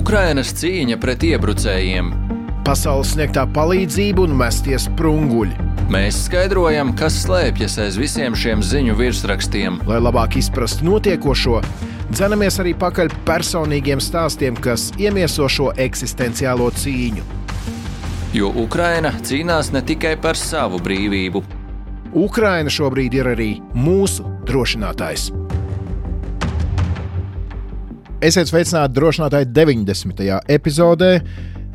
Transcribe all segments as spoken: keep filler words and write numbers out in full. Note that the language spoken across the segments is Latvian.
Ukrainas cīņa pret iebrucējiem. Pasaules sniegtā palīdzība un mestie sprunguļi. Mēs skaidrojam, kas slēpjas aiz visiem šiem ziņu virsrakstiem. Lai labāk izprastu notiekošo, dzenamies arī pakaļ personīgiem stāstiem, kas iemieso šo eksistenciālo cīņu. Jo Ukraina cīnās ne tikai par savu brīvību. Ukraina šobrīd ir arī mūsu drošinātājs. Esiet sveicināti drošinātāji deviņdesmitajā epizodē.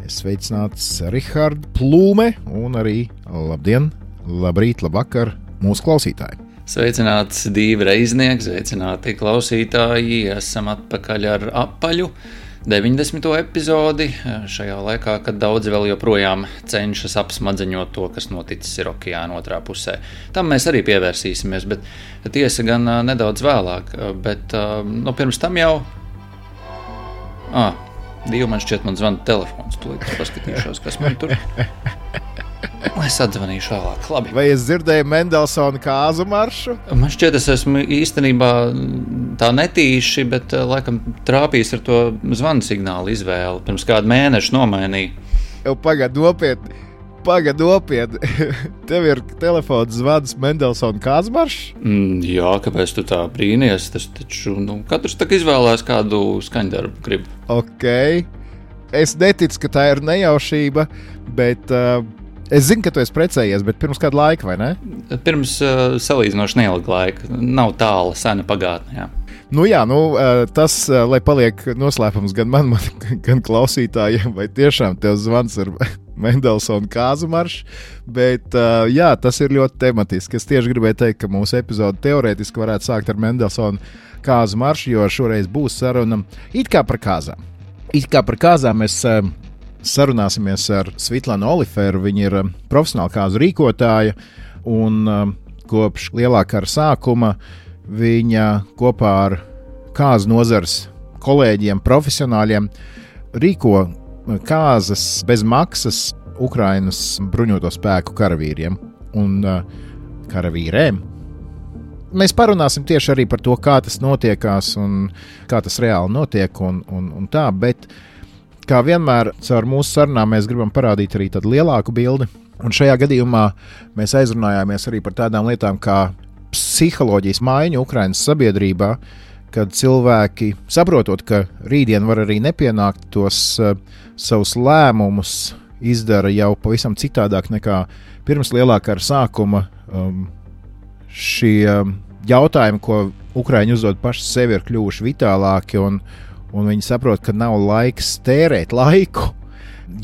Es sveicināts Rihards Plūme un arī labdien, labrīt, labvakar mūsu klausītāji. Sveicināts Dīva Reiznieks, sveicināti klausītāji. Esam atpakaļ ar apaļu deviņdesmito epizodi. Šajā laikā, kad daudzi vēl joprojām cenšas apsmadzeņot to, kas noticis ir okeāna otrā pusē. Tam mēs arī pievērsīsimies, bet tiesa gan nedaudz vēlāk. Bet no pirms tam jau... Ah, Dīva, man šķiet, man zvana telefons. Tūlīt es paskatīšos, kas man tur... Es atzvanīšu vēlāk. Labi. Vai es dzirdēju Mendelsona kāzu maršu? Man šķiet, es esmu īstenībā tā netīši, bet laikam trāpījis ar to zvanu signālu izvēli. Pirms kādu mēnešu nomainīju. Jau pagad nopietni. Pagad nopietni. Tev ir telefons zvans Mendelsona kāzu maršs? Mm, jā, kāpēc tu tā brīnies? Tas taču, nu, katrs tak izvēlās kādu skaņdarbu grib. Ok. Es neticu, ka tā ir nejaušība, bet... Uh, Es zinu, ka tu esi precējies, bet pirms kāda laika, vai ne? Pirms uh, salīdzinoši neilga laika. Nav tāla, sena pagātne, jā. Nu jā, nu, uh, tas, uh, lai paliek noslēpums gan man, man gan klausītājiem, vai tiešām tev zvans ir Mendelsona kāzu maršs, bet uh, jā, tas ir ļoti tematiski. Es tieši gribēju teikt, ka mūsu epizode teorētiski varētu sākt ar Mendelsona kāzu maršu, jo šoreiz būs saruna it kā par kāzām. It kā par kāzām mēs... Uh, Sarunāsimies ar Svitlanu Oliferu. Viņa ir profesionāla kāzu rīkotāja un um, kopš lielā kara sākuma viņa kopā ar kāzu nozares kolēģiem, profesionāļiem rīko kāzas bez maksas Ukrainas bruņoto spēku karavīriem un uh, karavīrēm. Mēs parunāsim tieši arī par to, kā tas notiekās un kā tas reāli notiek un, un, un tā, bet kā vienmēr, caur mūsu sarunām mēs gribam parādīt arī tādu lielāku bildi. Un šajā gadījumā mēs aizrunājāmies arī par tādām lietām kā psiholoģijas maiņu Ukrainas sabiedrībā, kad cilvēki, saprotot, ka rītdien var arī nepienākt, tos uh, savus lēmumus izdara jau pavisam citādāk nekā pirms lielā kara sākuma. Um, šie jautājumi, ko Ukraiņi uzdod paši sevi, ir kļuvuši vitālāki un Un viņi saprot, ka nav laiks tērēt laiku.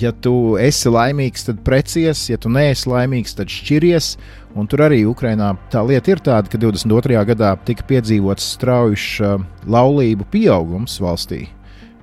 Ja tu esi laimīgs, tad precies, ja tu neesi laimīgs, tad šķiries. Un tur arī Ukrainā tā lieta ir tāda, ka divdesmit otrajā gadā tika piedzīvots straujš uh, laulību pieaugums valstī.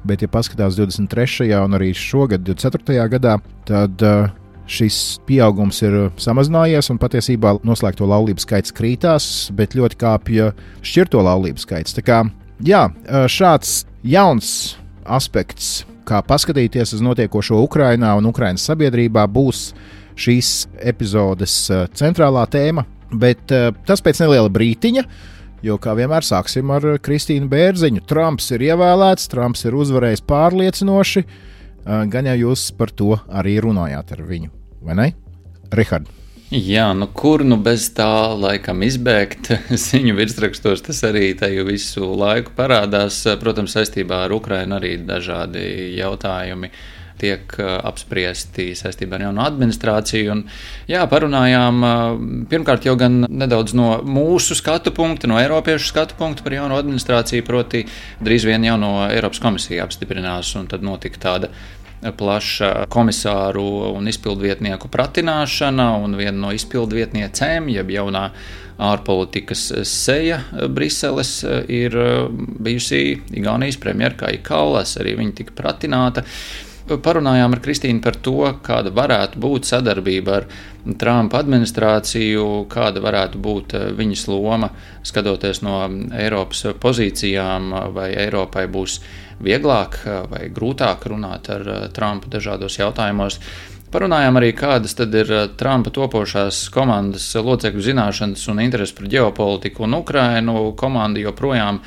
Bet, ja paskatās divdesmit trešajā un arī šogad, divdesmit ceturtajā gadā, tad uh, šis pieaugums ir samazinājies un patiesībā noslēgto laulību skaits krītās, bet ļoti kāpja šķirto laulību skaits. Tā kā, jā, šāds jauns aspekts, kā paskatīties uz notiekošo Ukrainā un Ukrainas sabiedrībā, būs šīs epizodes centrālā tēma, bet tas pēc neliela brītiņa, jo kā vienmēr sāksim ar Kristīnu Bērziņu. Trumps ir ievēlēts, Trumps ir uzvarējis pārliecinoši, gan jau jūs par to arī runājāt ar viņu, vai ne? Rihard. Jā, nu kur nu bez tā laikam izbēgt ziņu virsrakstos, tas arī teju visu laiku parādās. Protams, saistībā ar Ukrainu arī dažādi jautājumi tiek apspriesti saistībā ar jaunu administrāciju. Un, jā, parunājām pirmkārt jau gan nedaudz no mūsu skatu punkta, no eiropiešu skatu punkta par jaunu administrāciju, proti drīz vien jauno Eiropas komisija apstiprinās un tad notika tāda plaša komisāru un izpildvietnieku pratināšana, un viena no izpildvietniecēm, jeb jaunā ārpolitikas seja Briseles, ir bijusi Igaunijas premjera Kaja Kallas, arī viņa tika pratināta. Parunājām ar Kristīnu par to, kāda varētu būt sadarbība ar Trumpa administrāciju, kāda varētu būt viņas loma, skatoties no Eiropas pozīcijām, vai Eiropai būs vieglāk vai grūtāk runāt ar Trumpu dažādos jautājumos. Parunājām arī, kādas tad ir Trumpa topošās komandas locekļu zināšanas un interesi par ģeopolitiku un Ukrainu. Komanda joprojām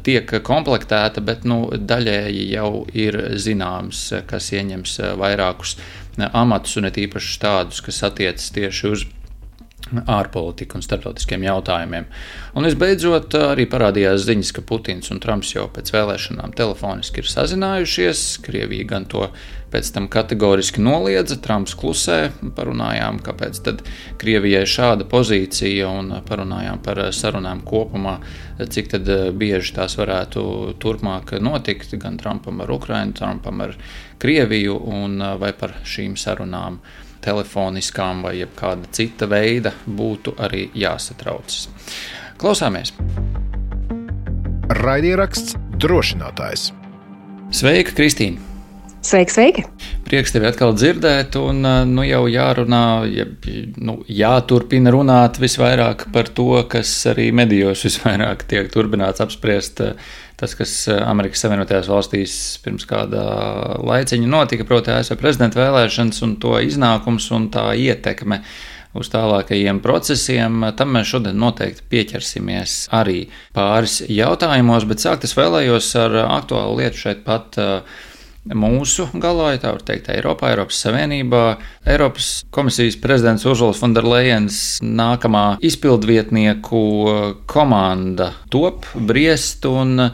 tiek komplektēta, bet nu, daļēji jau ir zināms, kas ieņems vairākus amatus un it īpaši tādus, kas attiecas tieši uz ārpolitika un starptautiskiem jautājumiem. Un visbeidzot arī parādījās ziņas, ka Putins un Trumps jau pēc vēlēšanām telefoniski ir sazinājušies. Krievija gan to pēc tam kategoriski noliedza, Trumps klusē, parunājām, kāpēc tad Krievijai šāda pozīcija un parunājām par sarunām kopumā, cik tad bieži tās varētu turpmāk notikt, gan Trumpam ar Ukrainu, Trumpam ar Krieviju un vai par šīm sarunām telefoniskām vai jebkāda cita veida būtu arī jāsatraucas. Klausāmies! Raidieraksts Drošinātājs. Sveika, Kristīna! Sveiki, sveiki! Prieks tevi atkal dzirdēt, un nu, jau jārunā, ja, nu, jāturpina runāt visvairāk par to, kas arī medijos visvairāk tiek turpināts apspriest. Tas, kas Amerikas Savienotajās valstīs pirms kāda laiciņa notika, proti A S V prezidenta vēlēšanas un to iznākums un tā ietekme uz tālākajiem procesiem, tam mēs šodien noteikti pieķersimies arī pāris jautājumos, bet sākt es vēlējos ar aktuālu lietu šeit pat mūsu galā, ja tā var teikt, Eiropā, Eiropas Savienībā. Eiropas komisijas prezidents Ursulas von der Leyens nākamā izpildvietnieku komanda top, briest un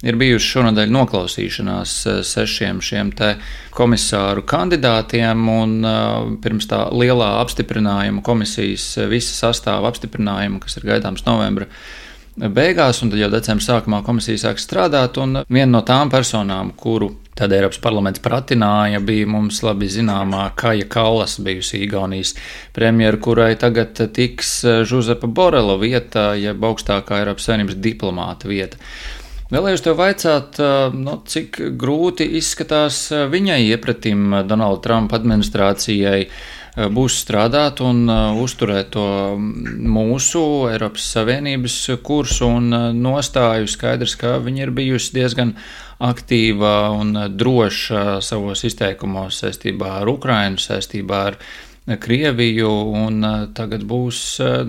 ir bijuši šonadēļ noklausīšanās sešiem šiem te komisāru kandidātiem un pirms tā lielā apstiprinājuma komisijas visa sastāva apstiprinājuma, kas ir gaidāms novembra beigās, un tad jau decembra sākumā komisija sāk strādāt, un viena no tām personām, kuru tad Eiropas parlaments pratināja, bija mums labi zināmā Kaja Kallas, bijusi Igaunijas premjera, kurai tagad tiks Žuzepa Borela vieta, jeb augstākā Eiropas Savienības diplomāta vieta. Vēlējos tev vaicāt, no cik grūti izskatās viņai iepratim Donalda Trumpa administrācijai būs strādāt un uzturēt to mūsu Eiropas Savienības kursu un nostāju. Skaidrs, ka viņa ir bijusi diezgan aktīva un droša savos izteikumos saistībā ar Ukrainu, saistībā ar Krieviju, un tagad būs,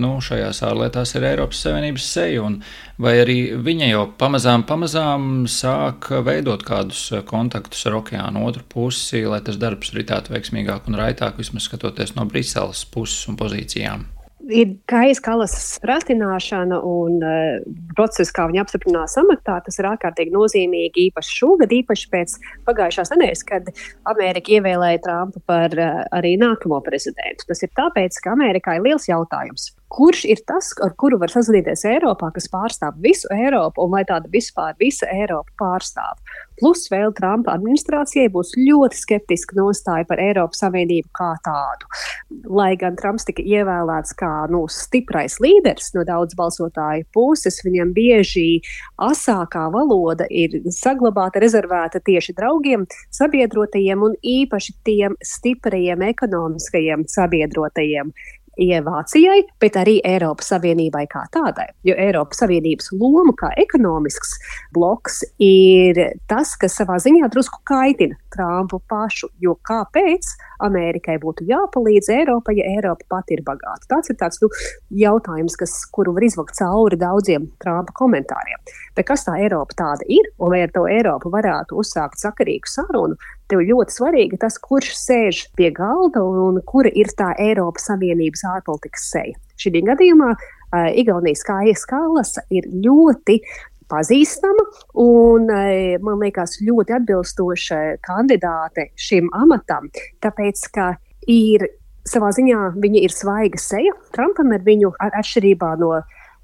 nu, šajās ārlietās ir Eiropas Savienības seja, un vai arī viņa jau pamazām, pamazām sāk veidot kādus kontaktus ar okeānu otru pusi, lai tas darbs ritētu veiksmīgāk un raitāk, vismaz skatoties no Briseles puses un pozīcijām? Ir Kajas Kallasas pratināšana un uh, process, kā viņa apstiprinās amatā, tas ir ārkārtīgi nozīmīgi īpaši šogad, īpaši pēc pagājušās nedēļas, kad Amerika ievēlēja Trumpu par uh, arī nākamo prezidentu. Tas ir tāpēc, ka Amerikā ir liels jautājums. Kurš ir tas, ar kuru var sazināties Eiropā, kas pārstāv visu Eiropu, un vai tāda vispār visa Eiropa pārstāv? Plus vēl Trumpa administrācijai būs ļoti skeptiska nostāja par Eiropas Savienību kā tādu. Lai gan Trumps tika ievēlēts kā nu, stiprais līderis no daudz balsotāju puses, viņam bieži asākā valoda ir saglabāta, rezervēta tieši draugiem, sabiedrotajiem un īpaši tiem stiprajiem ekonomiskajiem sabiedrotajiem. Vācijai, bet arī Eiropas Savienībai kā tādai. Jo Eiropas Savienības loma kā ekonomisks bloks ir tas, kas savā ziņā drusku kaitina Trumpu pašu. Jo kāpēc Amerikai būtu jāpalīdz Eiropai, ja Eiropa pati ir bagāta? Tas ir tāds nu, jautājums, kas, kuru var izvakt cauri daudziem Trumpa komentāriem. Bet kas tā Eiropa tāda ir? Un vai ar to Eiropu varētu uzsākt sakarīgu sarunu? Tev ļoti svarīgi tas, kurš sēž pie galda un kura ir tā Eiropas Savienības ārpolitikas seja. Šī gadījumā uh, Igaunijas Kajas Kallasa ir ļoti pazīstama un, uh, man liekas, ļoti atbilstoša kandidāte šim amatam, tāpēc, ka ir savā ziņā viņa ir svaiga seja. Trumpam ar viņu ar atšķirībā no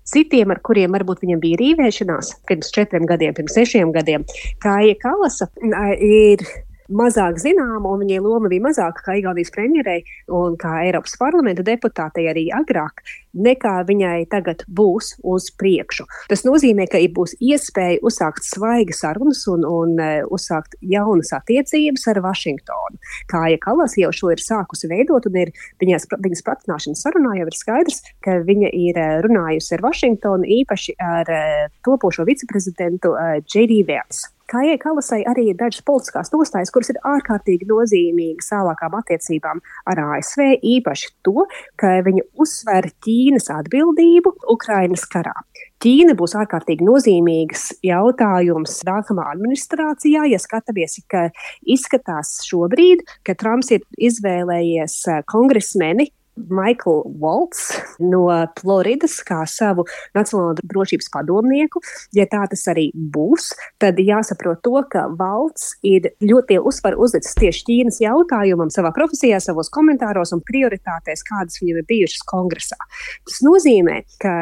citiem, ar kuriem varbūt viņam bija rīvēšanās pirms četriem gadiem, pirms sešiem gadiem, Kaja Kallasa uh, ir mazāk zināma, un viņai loma bija mazāka kā Igaunijas premjerei un kā Eiropas parlamenta deputātei arī agrāk, nekā viņai tagad būs uz priekšu. Tas nozīmē, ka būs iespēja uzsākt svaigas sarunas un, un uh, uzsākt jaunas attiecības ar Vašingtonu. Kaja Kallas jau šo ir sākusi veidot, un ir viņas, viņas pratināšanas sarunā jau ir skaidrs, ka viņa ir runājusi ar Vašingtonu, īpaši ar uh, topošo viceprezidentu uh, J D Vance. Kājai Kalasai arī ir dažas politiskās nostājas, kuras ir ārkārtīgi nozīmīgas tālākām attiecībām ar A S V, īpaši to, ka viņa uzsver Ķīnas atbildību Ukrainas karā. Ķīna būs ārkārtīgi nozīmīgs jautājums nākamā administrācijā, ja skatāmies, ka izskatās šobrīd, ka Trumps ir izvēlējies kongresmeni Michael Waltz no Floridas kā savu nacionālo drošības padomnieku. Ja tā tas arī būs, tad jāsaprot to, ka Waltz ir ļoti lielu uzsvaru uzlicis tieši Ķīnas jautājumam savā profesijā, savos komentāros un prioritātēs, kādas viņam ir bijušas kongresā. Tas nozīmē, ka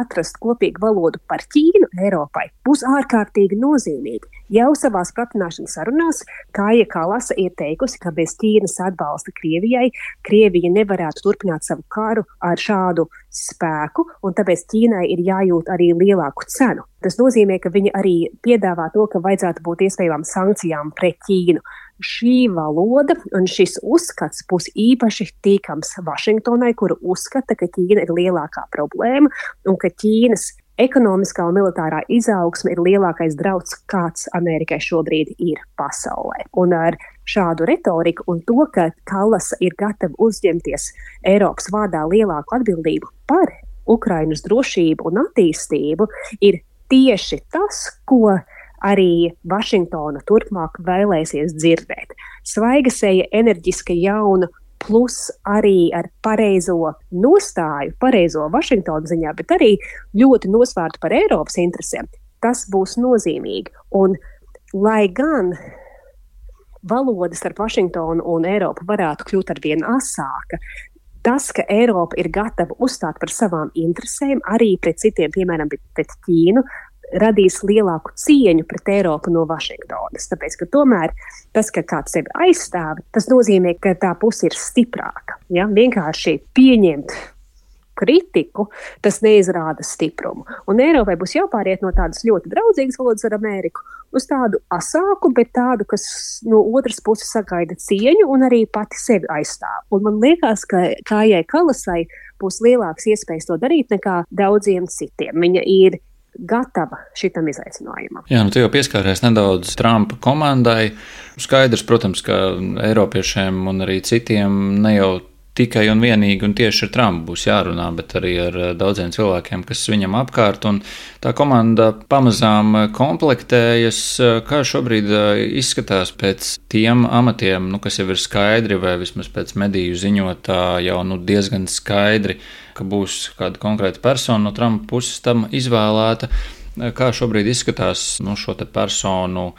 atrast kopīgu valodu par Ķīnu Eiropai būs ārkārtīgi nozīmīgi. Jau savās pratināšanas sarunās Kāja Kalasa ir teikusi, ka bez Ķīnas atbalsta Krievijai, Krievija nevarētu turpināt savu karu ar šādu spēku, un tāpēc Ķīnai ir jājūt arī lielāku cenu. Tas nozīmē, ka viņa arī piedāvā to, ka vajadzētu būt iespējamām sankcijām pret Ķīnu. Šī valoda un šis uzskats būs īpaši tīkams Vašingtonai, kuru uzskata, ka Ķīna ir lielākā problēma un ka Ķīnas ekonomiskā un militārā izaugsme ir lielākais drauds, kāds Amerikai šobrīd ir pasaulē. Un ar šādu retoriku un to, ka Kalasa ir gatava uzņemties Eiropas vārdā lielāku atbildību par Ukrainas drošību un attīstību, ir tieši tas, ko arī Vašingtona turpmāk vēlēsies dzirdēt. Svaiga seja, enerģiska, jauna, plus arī ar pareizo nostāju, pareizo Vašingtonu ziņā, bet arī ļoti nosvērtu par Eiropas interesēm. Tas būs nozīmīgi. Un lai gan valoda starp Vašingtonu un Eiropu varētu kļūt ar vien asāka, tas, ka Eiropa ir gatava uzstāt par savām interesēm, arī pret citiem, piemēram, pret Ķīnu, radīs lielāku cieņu pret Eiropu no Vašingtonas. Tāpēc, ka tomēr tas, ka kāds sevi aizstāv, tas nozīmē, ka tā puse ir stiprāka. Ja? Vienkārši pieņemt kritiku, tas neizrāda stiprumu. Un Eiropai būs jāpāriet no tādas ļoti draudzīgas valodas ar Ameriku uz tādu asāku, bet tādu, kas no otras puses sagaida cieņu un arī pati sevi aizstāv. Un man liekas, ka Kājai Kalasai būs lielāks iespējas to darīt nekā daudziem citiem. Viņa ir gatava šitam izaicinājumam. Jā, nu tu jau pieskāries nedaudz Trumpa komandai. Skaidrs, protams, ka Eiropiešiem un arī citiem ne jau tikai un vienīgi un tieši ar Trumpu būs jārunā, bet arī ar daudziem cilvēkiem, kas viņam apkārt. Un tā komanda pamazām komplektējas. Kā šobrīd izskatās pēc tiem amatiem, nu, kas jau ir skaidri, vai vismaz pēc mediju ziņotā jau nu, diezgan skaidri, ka būs kāda konkrēta persona no Trumpa puses tam izvēlēta. Kā šobrīd izskatās nu, šo te personu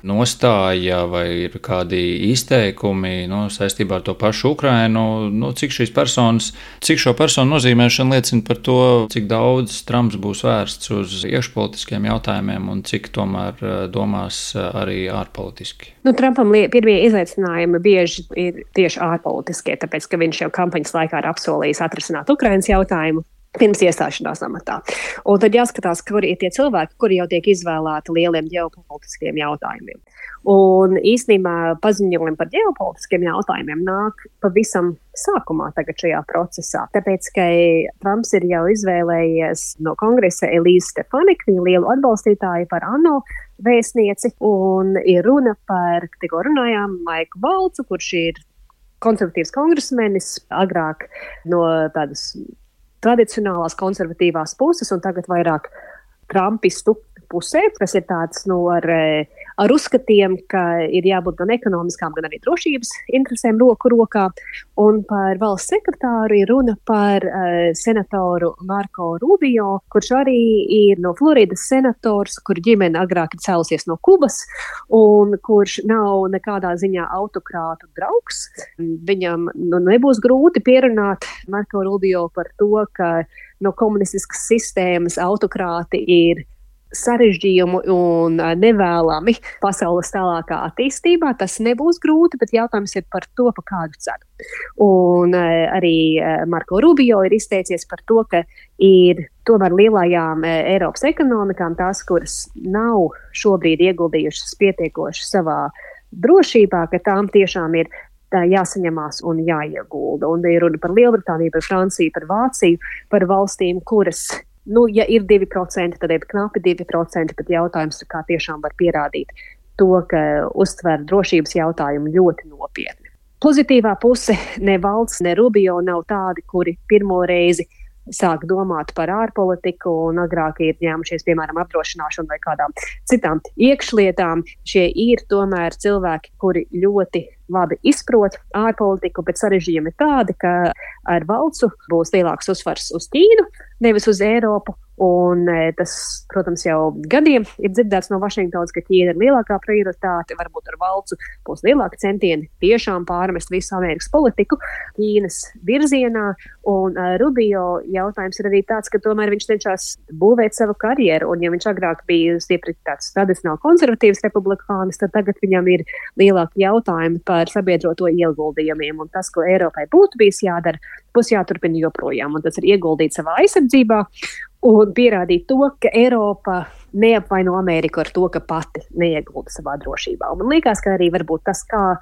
nostāja vai ir kādi izteikumi nu, saistībā ar to pašu Ukrainu? Nu, cik šīs personas, cik šo personu nozīmēšana liecina par to, cik daudz Trumps būs vērsts uz iekšpolitiskiem jautājumiem un cik tomēr domās arī ārpolitiski? Nu, Trumpam pirmie izaicinājumi bieži ir tieši ārpolitiskie, tāpēc, ka viņš jau kampaņas laikā ir apsolījis atrisināt Ukrainas jautājumu pirms iestāšanās amatā. Un tad jāskatās, kuri ir tie cilvēki, kuri jau tiek izvēlēti lieliem ģeopolitiskiem jautājumiem. Un īstenībā paziņojumi par ģeopolitiskiem jautājumiem nāk pavisam sākumā tagad šajā procesā. Tāpēc, ka Trumps ir jau izvēlējies no kongresa Elīzi Stefaniku, viņa lielu atbalstītāju par ANO vēstnieci, un ir runa par, tikko runājām, Maiku Valcu, kurš ir konservatīvs kongresmenis, agrāk no tādas tradicionālās konservatīvās puses un tagad vairāk trumpistu pusē, kas ir tāds nu, ar, ar uzskatiem, ka ir jābūt gan ekonomiskām, gan arī drošības interesēm roku rokā. Un par valsts sekretāru ir runa par uh, senatoru Marco Rubio, kurš arī ir no Floridas senators, kur ģimene agrāk ir cēlusies no Kubas un kurš nav nekādā ziņā autokrātu draugs. Viņam nu, nebūs grūti pierunāt Marco Rubio par to, ka no komunistiskas sistēmas autokrāti ir sarežģījumu un nevēlami pasaules tālākā attīstībā. Tas nebūs grūti, bet jautājums ir par to, pa kādu cenu. Un arī Marco Rubio ir izteicies par to, ka ir tomēr lielajām Eiropas ekonomikām tās, kuras nav šobrīd ieguldījušas pietiekoši savā drošībā, ka tām tiešām ir jāsaņemās un jāiegulda. Un ir runa par Lielbritāniju, par Franciju, par Vāciju, par valstīm, kuras Nu, ja ir divi procenti, tad ir knapi divi procenti, bet jautājums, kā tiešām var pierādīt to, ka uztver drošības jautājumu ļoti nopietni. Pozitīvā puse ne Valts, ne Rubio nav tādi, kuri pirmo reizi sāk domāt par ārpolitiku un agrāk ir ņēmušies, piemēram, apdrošināšanu vai kādām citām iekšlietām. Šie ir tomēr cilvēki, kuri ļoti labi izprot ārpolitiku, bet sarežģījumi ir tādi, ka ar Valcu būs lielāks uzsvars uz Ķīnu, nevis uz Eiropu. Un tas, protams, jau gadiem ir dzirdēts no Vašingtonas, ka Ķīna ir lielākā prioritāte, varbūt ar Valcu būs lielāki centieni tiešām pārmest visu Amerikas politiku Ķīnas virzienā. Un uh, Rubio jautājums ir arī tāds, ka tomēr viņš cenšas būvēt savu karjeru, un ja viņš agrāk bija stiepri tāds tradicionāli konservatīvs republikānis, tad tagad viņam ir lielāki jautājumi par sabiedroto ieguldījumiem, un tas, ko Eiropai būtu bijis jādara, būs jāturpina joprojām, un tas ir ieguldīt savā aizsardzībā un pierādīt to, ka Eiropa neapvaino Ameriku ar to, ka pati neiegulda savā drošībā. Un man liekas, ka arī varbūt tas, kā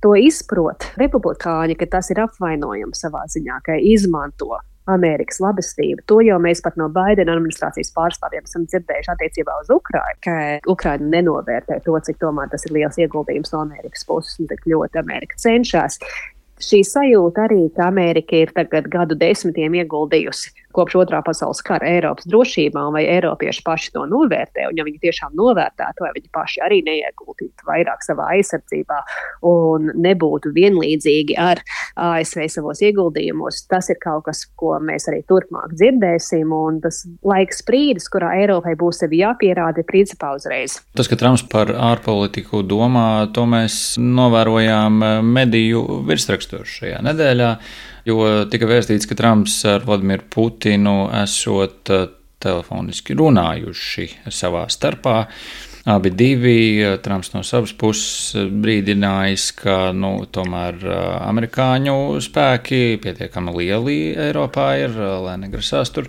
to izprot republikāņi, ka tas ir apvainojums savā ziņā, ka izmanto Amerikas labestību. To jau mēs pat no Baidena administrācijas pārstāvjiem esam dzirdējuši attiecībā uz Ukrainu, ka Ukraina nenovērtē to, cik tomēr tas ir liels ieguldījums no Amerikas puses un cik ļoti Amerika cenšas. Šī sajūta arī, ka Amerika ir tagad gadu desmitiem ieguldījusi kopš otrā pasaules kara Eiropas drošībā, vai Eiropieši paši to novērtē, un ja viņi tiešām novērtētu, vai viņi paši arī neieguldītu vairāk savā aizsardzībā un nebūtu vienlīdzīgi ar A S V savos ieguldījumos, tas ir kaut kas, ko mēs arī turpmāk dzirdēsim, un tas laiks brīdis, kurā Eiropai būs sevi jāpierāda, principā uzreiz. Tas, ka Trumps par ārpolitiku domā, to mēs novērojām mediju virsrakstos šajā nedēļā, jo tika vēstīts, ka Trumps ar Vladimiru Putinu esot telefoniski runājuši savā starpā. Abi divi, Trumps no savas puses brīdinājis, ka nu, tomēr amerikāņu spēki pietiekami lieli Eiropā ir, lai negrasās tur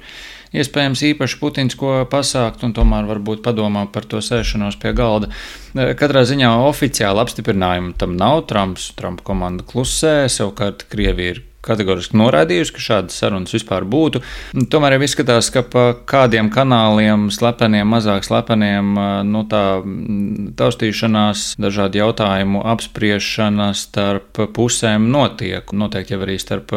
iespējams īpaši Putins ko pasākt un tomēr varbūt padomā par to sēšanos pie galda. Katrā ziņā oficiāli apstiprinājumu tam nav. Trumps, Trumpa komanda klusē, savukārt Krievija ir kategoriski noraidījusi, ka šādas sarunas vispār būtu. Tomēr jau izskatās, ka pa kādiem kanāliem, slepeniem, mazāk slepeniem, nu tā taustīšanās, dažādu jautājumu apspriešana starp pusēm notiek. Noteikti jau arī starp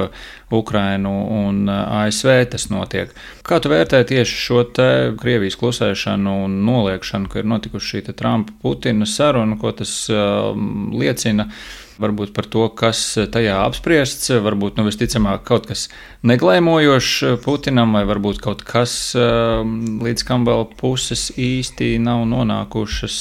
Ukrainu un A S V tas notiek. Kā tu vērtē tieši šo te Krievijas klusēšanu un noliekšanu, ka ir notikuši šī te Trumpa-Putina saruna, ko tas uh, liecina? Varbūt par to, kas tajā apspriests, varbūt nu visticamāk kaut kas neglēmojošs Putinam, vai varbūt kaut kas, līdz kam vēl puses īsti nav nonākušas,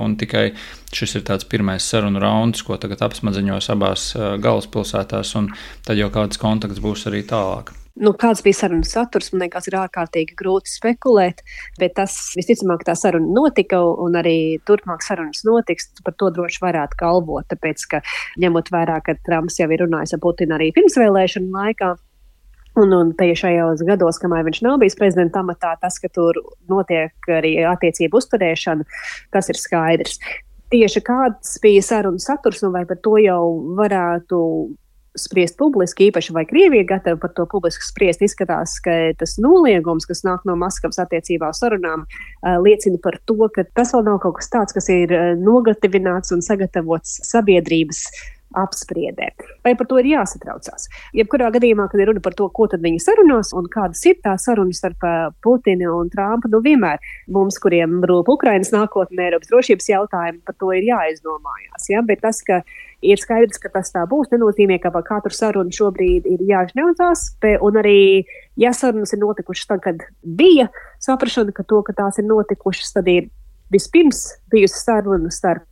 un tikai šis ir tāds pirmais sarunu rauns, ko tagad apsmadziņos abās galvaspilsētās, un tad jau kāds kontakts būs arī tālāk. Nu, kāds bija sarunas saturs, man liekas, ir ārkārtīgi grūti spekulēt, bet tas visticamāk tā saruna notika un arī turpmāk sarunas notiks, par to droši varētu galvot, tāpēc, ka ņemot vērā, ka Trumps jau ir runājis ar Putinu arī pirmsvēlēšanu laikā, un, un šajos gados, kamēr viņš nav bijis prezidenta amatā, tas, ka tur notiek arī attiecību uzturēšana, tas ir skaidrs. Tieši kāds bija saruna saturs, un vai par to jau varētu spriest publiski, īpaši vai Krievija gatava par to publiski spriest, izskatās, ka tas noliegums, kas nāk no Maskavas attiecībā uz sarunām, liecina par to, ka tas vēl nav kaut kas tāds, kas ir nogatavināts un sagatavots sabiedrības apspriedē. Vai par to ir jāsatraucās? Jebkurā gadījumā, kad ir runa par to, ko tad viņi sarunās un kādas ir tā sarunas starp Putinu un Trumpu, nu vienmēr mums, kuriem rūp Ukrainas nākotne, Eiropas drošības jautājumi, par to ir jāizdomājās. Ja? Bet tas, ka ir skaidrs, ka tas tā būs, nenozīmē, ka par katru sarunu šobrīd ir jāžņaucās, un arī, ja sarunas ir notikušas tad, kad bija saprašana, ka to, ka tās ir notikušas, tad ir vispirms bijusi saruna starp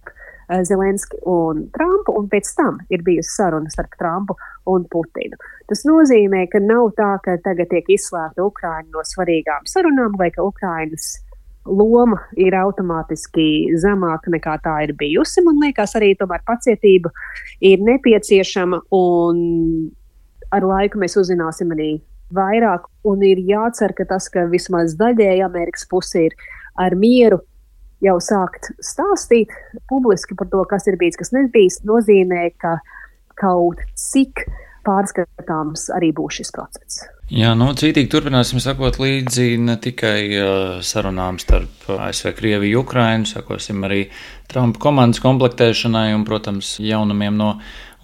Zelenski un Trumpu, un pēc tam ir bijusi saruna starp Trumpu un Putinu. Tas nozīmē, ka nav tā, ka tagad tiek izslēgta Ukraina no svarīgām sarunām, vai ka Ukrainas loma ir automātiski zemāka nekā tā ir bijusi. Man liekas, arī tomēr pacietība ir nepieciešama, un ar laiku mēs uzzināsim arī vairāk, un ir jācer, ka tas, ka vismaz daļēji Amerikas puse ir ar mieru jau sākt stāstīt publiski par to, kas ir bijis, kas nebijis, nozīmē, ka kaut cik pārskatāms arī būs šis process. Jā, nu, cītīgi turpināsim sakot līdzi ne tikai uh, sarunām starp A S V, Krieviju, Ukrainu, sakosim arī Trumpa komandas komplektēšanai un, protams, jaunumiem no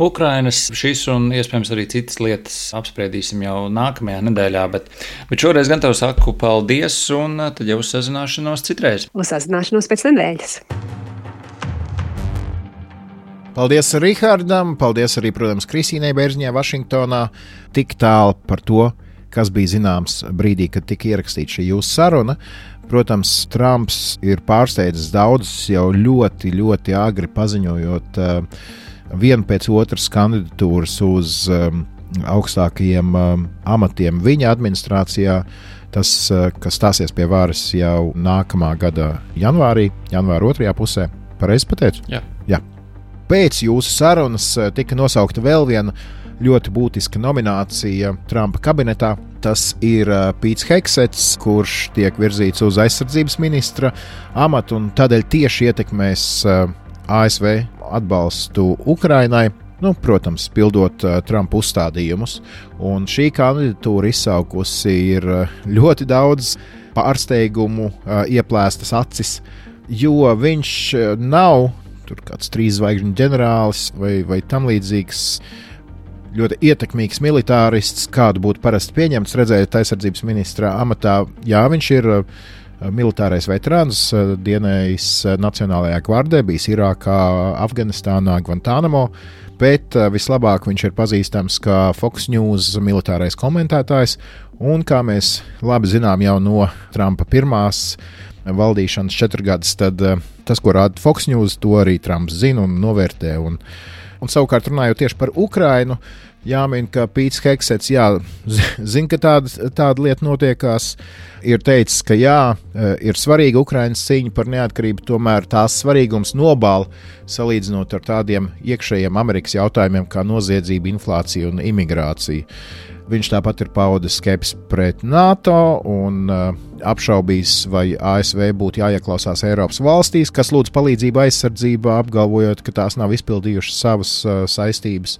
Ukrainas. Šis un iespējams arī citas lietas apspriedīsim jau nākamajā nedēļā, bet, bet šoreiz gan tev saku paldies un tad jau uz sazināšanos citreiz. Uz sazināšanos pēc nedēļas. Paldies Rihardam, paldies arī, protams, Kristīnai Bērziņai Vašingtonā. Tik tālu par to, kas bija zināms brīdī, kad tika ierakstīta šī jūsu saruna. Protams, Trumps ir pārsteidzis daudzus jau ļoti, ļoti agri paziņojot uh, vienu pēc otras kandidatūras uz um, augstākajiem um, amatiem viņa administrācijā. Tas, uh, kas stāsies pie varas jau nākamā gada janvārī, janvāra otrajā pusē. Pareizi pateicu? Jā. Jā. Pēc jūsu sarunas tika nosaukta vēl viena ļoti būtiska nominācija Trumpa kabinetā. Tas ir Pīts Hegsets, kurš tiek virzīts uz aizsardzības ministra amatu un tādēļ tieši ietekmēs A S V atbalstu Ukrainai. Nu, protams, pildot uh, Trumpa uzstādījumus. Un šī kandidatūra izsaukusi ir ļoti daudz pārsteigumu, uh, ieplēstas acis, jo viņš nav tur kāds trīs zvaigžņu ģenerālis vai, vai tam līdzīgs ļoti ietekmīgs militārists, kādu būtu parasti pieņemts redzēt aizsardzības ministra amatā. Jā, viņš ir uh, militārais veterāns, uh, dienējis uh, Nacionālajā gvardē, bijis Irākā, Afganistānā, Guantanamo, bet uh, vislabāk viņš ir pazīstams kā Fox News militārais komentētājs, un kā mēs labi zinām jau no Trumpa pirmās valdīšanas četrgadus, tad uh, tas, ko rāda Fox News, to arī Trumps zina un novērtē. Un, un savukārt runājot tieši par Ukrainu, jāmin, ka Pīts Hegsets, jā, zina, ka tāda, tāda lieta notiekās, ir teicis, ka jā, ir svarīga Ukrainas cīņa par neatkarību, tomēr tās svarīgums nobāla salīdzinot ar tādiem iekšējiem Amerikas jautājumiem kā noziedzība, inflācija un imigrācija. Viņš tāpat ir paudis skepsi pret NATO un uh, apšaubījis, vai A S V būtu jāieklausās Eiropas valstīs, kas lūdz palīdzību aizsardzībā, apgalvojot, ka tās nav izpildījušas savas uh, saistības.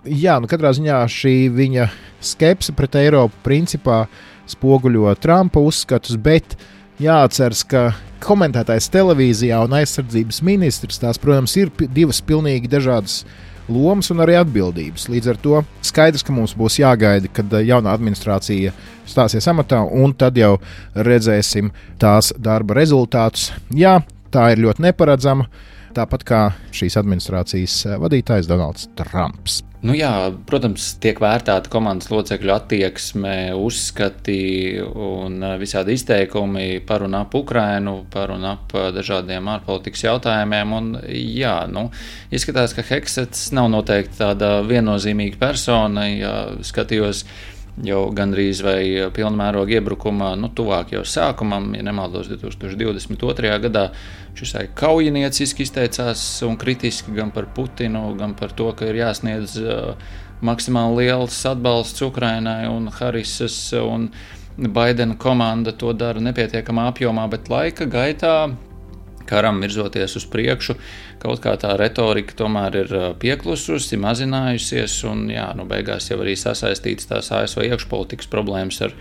Jā, nu katrā ziņā šī viņa skepse pret Eiropu principā spoguļo Trumpa uzskatus, bet jāatceras, ka komentētājs televīzijā un aizsardzības ministrs, tās, protams, ir divas pilnīgi dažādas lomas un arī atbildības. Līdz ar to skaidrs, ka mums būs jāgaida, kad jaunā administrācija stāsies amatā, un tad jau redzēsim tās darba rezultātus. Jā, tā ir ļoti neparedzama, tāpat kā šīs administrācijas vadītājs Donalds Trumps. Nu jā, protams, tiek vērtēta komandas locekļu attieksme, uzskati un visādi izteikumi par un ap Ukrainu, par un ap dažādiem ārpolitikas jautājumiem. Un jā, nu, izskatās, ka Hegsets nav noteikti tāda viennozīmīga persona. Ja skatījos jau gandrīz vai pilnmēroga iebrukuma, nu, tuvāk jau sākumam, ja nemaldos divi tūkstoši divdesmit otrajā gadā, šis kaujinieciski izteicās un kritiski gan par Putinu, gan par to, ka ir jāsniedz uh, maksimāli liels atbalsts Ukrainai, un Harisas un Baidena komanda to dara nepietiekamā apjomā, bet laika gaitā karam virzoties uz priekšu, kaut kā tā retorika tomēr ir pieklususi, mazinājusies, un jā, nu beigās jau arī sasaistīts tās A S V iekšpolitikas problēmas ar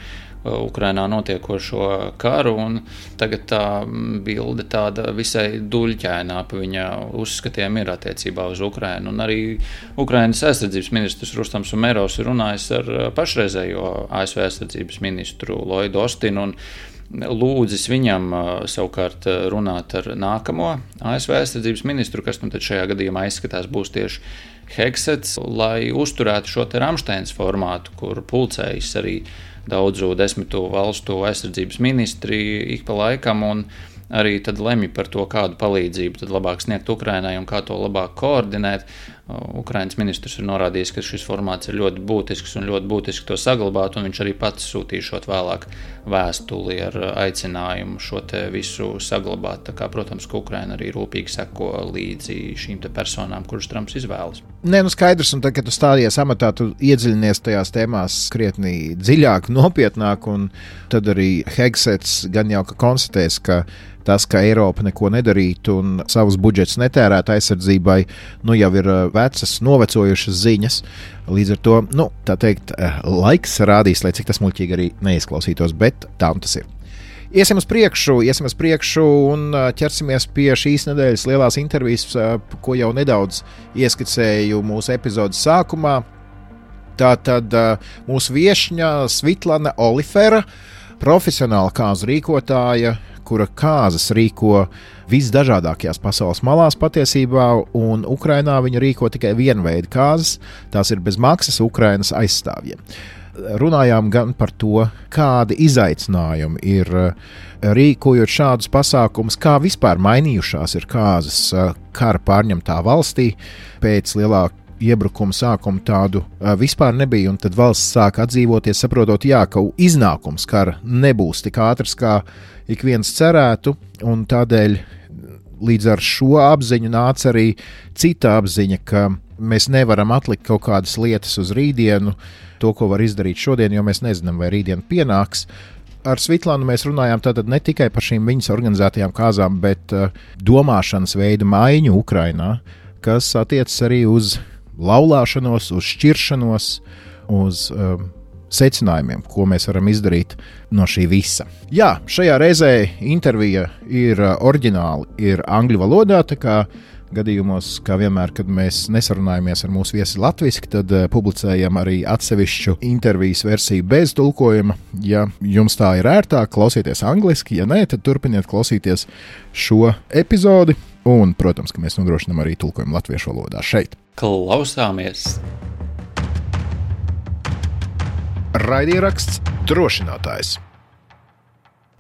Ukrainā notiekošo karu, un tagad tā bilde tāda visai duļķēnā pa viņa uzskatiem ir attiecībā uz Ukrainu, un arī Ukrainas aizsardzības ministrs Rustams Umerovs ir runājis ar pašreizējo A S V aizsardzības ministru Lloydu Ostinu, un lūdzis viņam savukārt runāt ar nākamo A S V aizsardzības ministru, kas nu tad šajā gadījumā izskatās būs tieši Hegsets, lai uzturētu šo te Ramsteins formātu, kur pulcējas arī daudzu desmitu valstu aizsardzības ministri ik pa laikam un arī tad lemj par to, kādu palīdzību tad labāk sniegt Ukrainai un kā to labāk koordinēt. Ukrainas ministrs ir norādījis, ka šis formāts ir ļoti būtisks un ļoti būtiski to saglabāt, un viņš arī pats sūtīšot vēlāk vēstuli ar aicinājumu šo te visu saglabāt. Tā kā, protams, ka Ukraina arī rūpīgi seko līdzi šīm te personām, kuras Trumps izvēlas. Nē, nu skaidrs, un tad, kad tu stādies amatā, tu iedziļinies tajās tēmās krietni dziļāk, nopietnāk, un tad arī Hegsets gan jau ka konstatēs, ka tas, ka Eiropa neko nedarītu un savus budžetus netērētu aizsardzībai, nu jau ir vecas, novecojušas ziņas. Līdz ar to, nu, tā teikt, laiks rādīs, lai cik tas muļķīgi arī neizklausītos, bet tā un tas ir. Iesim uz priekšu, iesim uz priekšu un ķersimies pie šīs nedēļas lielās intervijas, ko jau nedaudz ieskicēju mūsu epizodes sākumā. Tātad mūsu viešņa Svitlana Olifera, profesionāla kāzu rīkotāja, kura kāzas rīko visdažādākajās pasaules malās patiesībā, un Ukrainā viņa rīko tikai vienu veidu kāzas, tās ir bez maksas Ukrainas aizstāvjiem. Runājām gan par to, kādi izaicinājumi ir rīkojot šādus pasākumus, kā vispār mainījušās ir kāzas kara pārņemtā valstī. Pēc lielā iebrukuma sākuma tādu vispār nebija, un tad valsts sāk atdzīvoties, saprotot, jā, ka iznākums kara nebūs tik ātrs, kā ik viens cerētu, un tādēļ līdz ar šo apziņu nāca arī cita apziņa, ka mēs nevaram atlikt kaut kādas lietas uz rītdienu, to, ko var izdarīt šodien, jo mēs nezinām, vai rītdien pienāks. Ar Svitlānu mēs runājām tātad ne tikai par šīm viņas organizētajām kāzām, bet uh, domāšanas veida maiņu Ukrainā, kas attiecas arī uz laulāšanos, uz šķiršanos, uz uh, secinājumiem, ko mēs varam izdarīt no šī visa. Jā, šajā reizē intervija ir uh, oriģināli, ir angļu valodā, tā kā gadījumos, kā vienmēr, kad mēs nesarunājamies ar mūsu viesi latviski, tad uh, publicējam arī atsevišķu intervijas versiju bez tulkojuma. Ja jums tā ir ērtāk, klausieties angliski, ja nē, tad turpiniet klausīties šo epizodi, un, protams, ka mēs nodrošinām arī tulkojumu latviešu valodā šeit. Klausāmies! Raidieraksts Drošinātājs.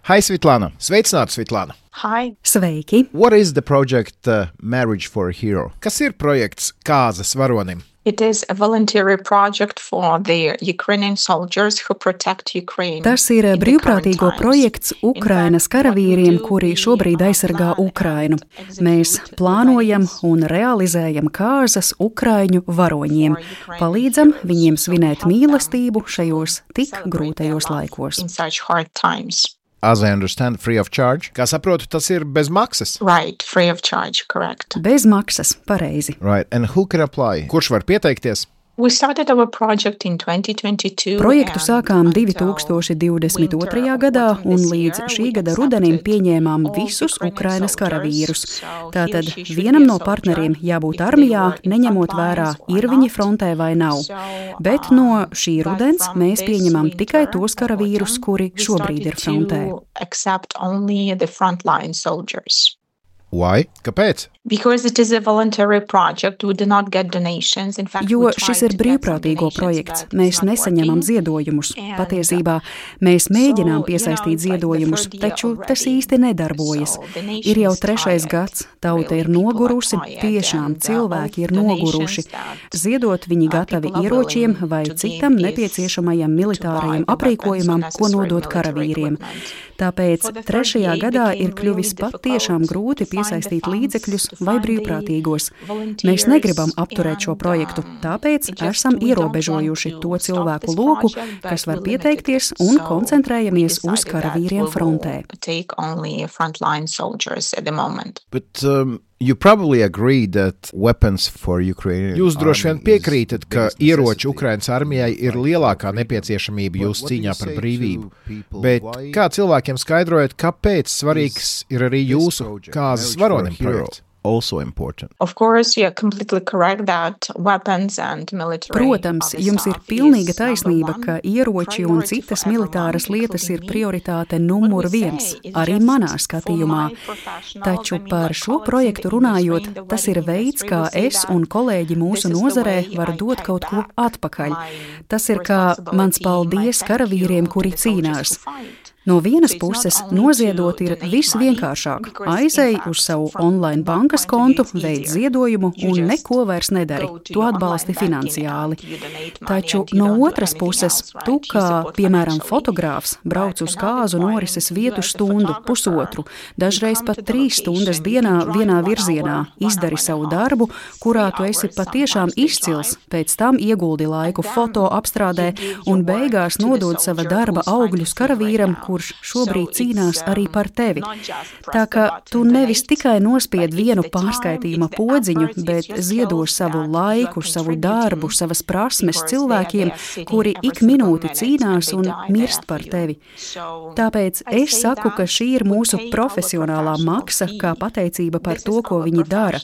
Hai, Svitlana! Sveicināta, Svitlana! Hi. Sveiki! What is the project uh, Marriage for a Hero? Kas ir projekts Kāzas varonim? It is a voluntary project for the Ukrainian soldiers who protect Ukraine. Tas ir brīvprātīgo projekts Ukrainas karavīriem, kuri šobrīd aizsargā Ukrainu. Mēs plānojam un realizējam kāzas Ukraiņu varoņiem. Palīdzam viņiem svinēt mīlestību šajos tik grūtajos laikos. In such hard times. As I understand, free of charge. Kā saprotu, tas ir bez maksas. Right, free of charge, correct. Bez maksas, pareizi. Right, and who can apply? Kurš var pieteikties? We started our project in twenty twenty-two. Projektu sākām divi tūkstoši divdesmit otrajā gadā, un līdz šī gada rudenim pieņēmām visus Ukrainas karavīrus. Tātad vienam no partneriem jābūt armijā, neņemot vērā, ir viņi frontē vai nav. Bet no šī rudens mēs pieņemam tikai tos karavīrus, kuri šobrīd ir frontē. Why? Kāpēc? Because it is a voluntary project, we do not get donations. In fact, Jo šis ir brīvprātīgo projekts. Mēs nesaņemam ziedojumus. Patiesībā mēs mēģinām piesaistīt ziedojumus, taču tas īsti nedarbojas. Ir jau trešais gads, tauta ir nogurusi, tiešām cilvēki ir noguruši. Ziedot viņi gatavi ieročiem vai citam nepieciešamajam militārajam aprīkojumam, ko nodot karavīriem. Tāpēc trešajā gadā ir kļuvis patiešām grūti piesaistīt līdzekļus vai brīvprātīgos. Mēs negribam apturēt šo projektu, tāpēc esam ierobežojuši to cilvēku loku, kas var pieteikties, un koncentrējamies uz karavīriem frontē. But, um... You probably agree that weapons for Ukraine. Jūs droši vien piekrītat, ka ieroči Ukrainas armijai ir lielākā nepieciešamība jūsu cīņā par brīvību. Bet kā cilvēkiem skaidrojat, kāpēc svarīgs ir arī jūsu kāzas varonim projekts? Also important. Of course, you are completely correct that weapons and military. Protams, jums ir pilnīga taisnība, ka ieroči un citas militāras lietas ir prioritāte numur viens, arī manā skatījumā. Taču par šo projektu runājot, tas ir veids, kā es un kolēģi mūsu nozarē var dot kaut ko atpakaļ. Tas ir kā mans paldies karavīriem, kuri cīnās. No vienas puses, noziedot ir visvienkāršāk. Aizej uz savu online bankas kontu, veic ziedojumu un neko vairs nedari. Tu atbalsti finansiāli. Taču no otras puses, tu kā, piemēram, fotogrāfs, brauc uz kāzu norises vietu stundu, pusotru, dažreiz pat trīs stundas dienā vienā virzienā, izdari savu darbu, kurā tu esi patiešām izcils, pēc tam ieguldi laiku foto apstrādē un beigās nodod sava darba augļus karavīram, kurš šobrīd cīnās arī par tevi. Tā kā tu nevis tikai nospied vienu pārskaitījuma podziņu, bet ziedo savu laiku, savu darbu, savas prasmes cilvēkiem, kuri ik minūti cīnās un mirst par tevi. Tāpēc es saku, ka šī ir mūsu profesionālā maksa, kā pateicība par to, ko viņi dara.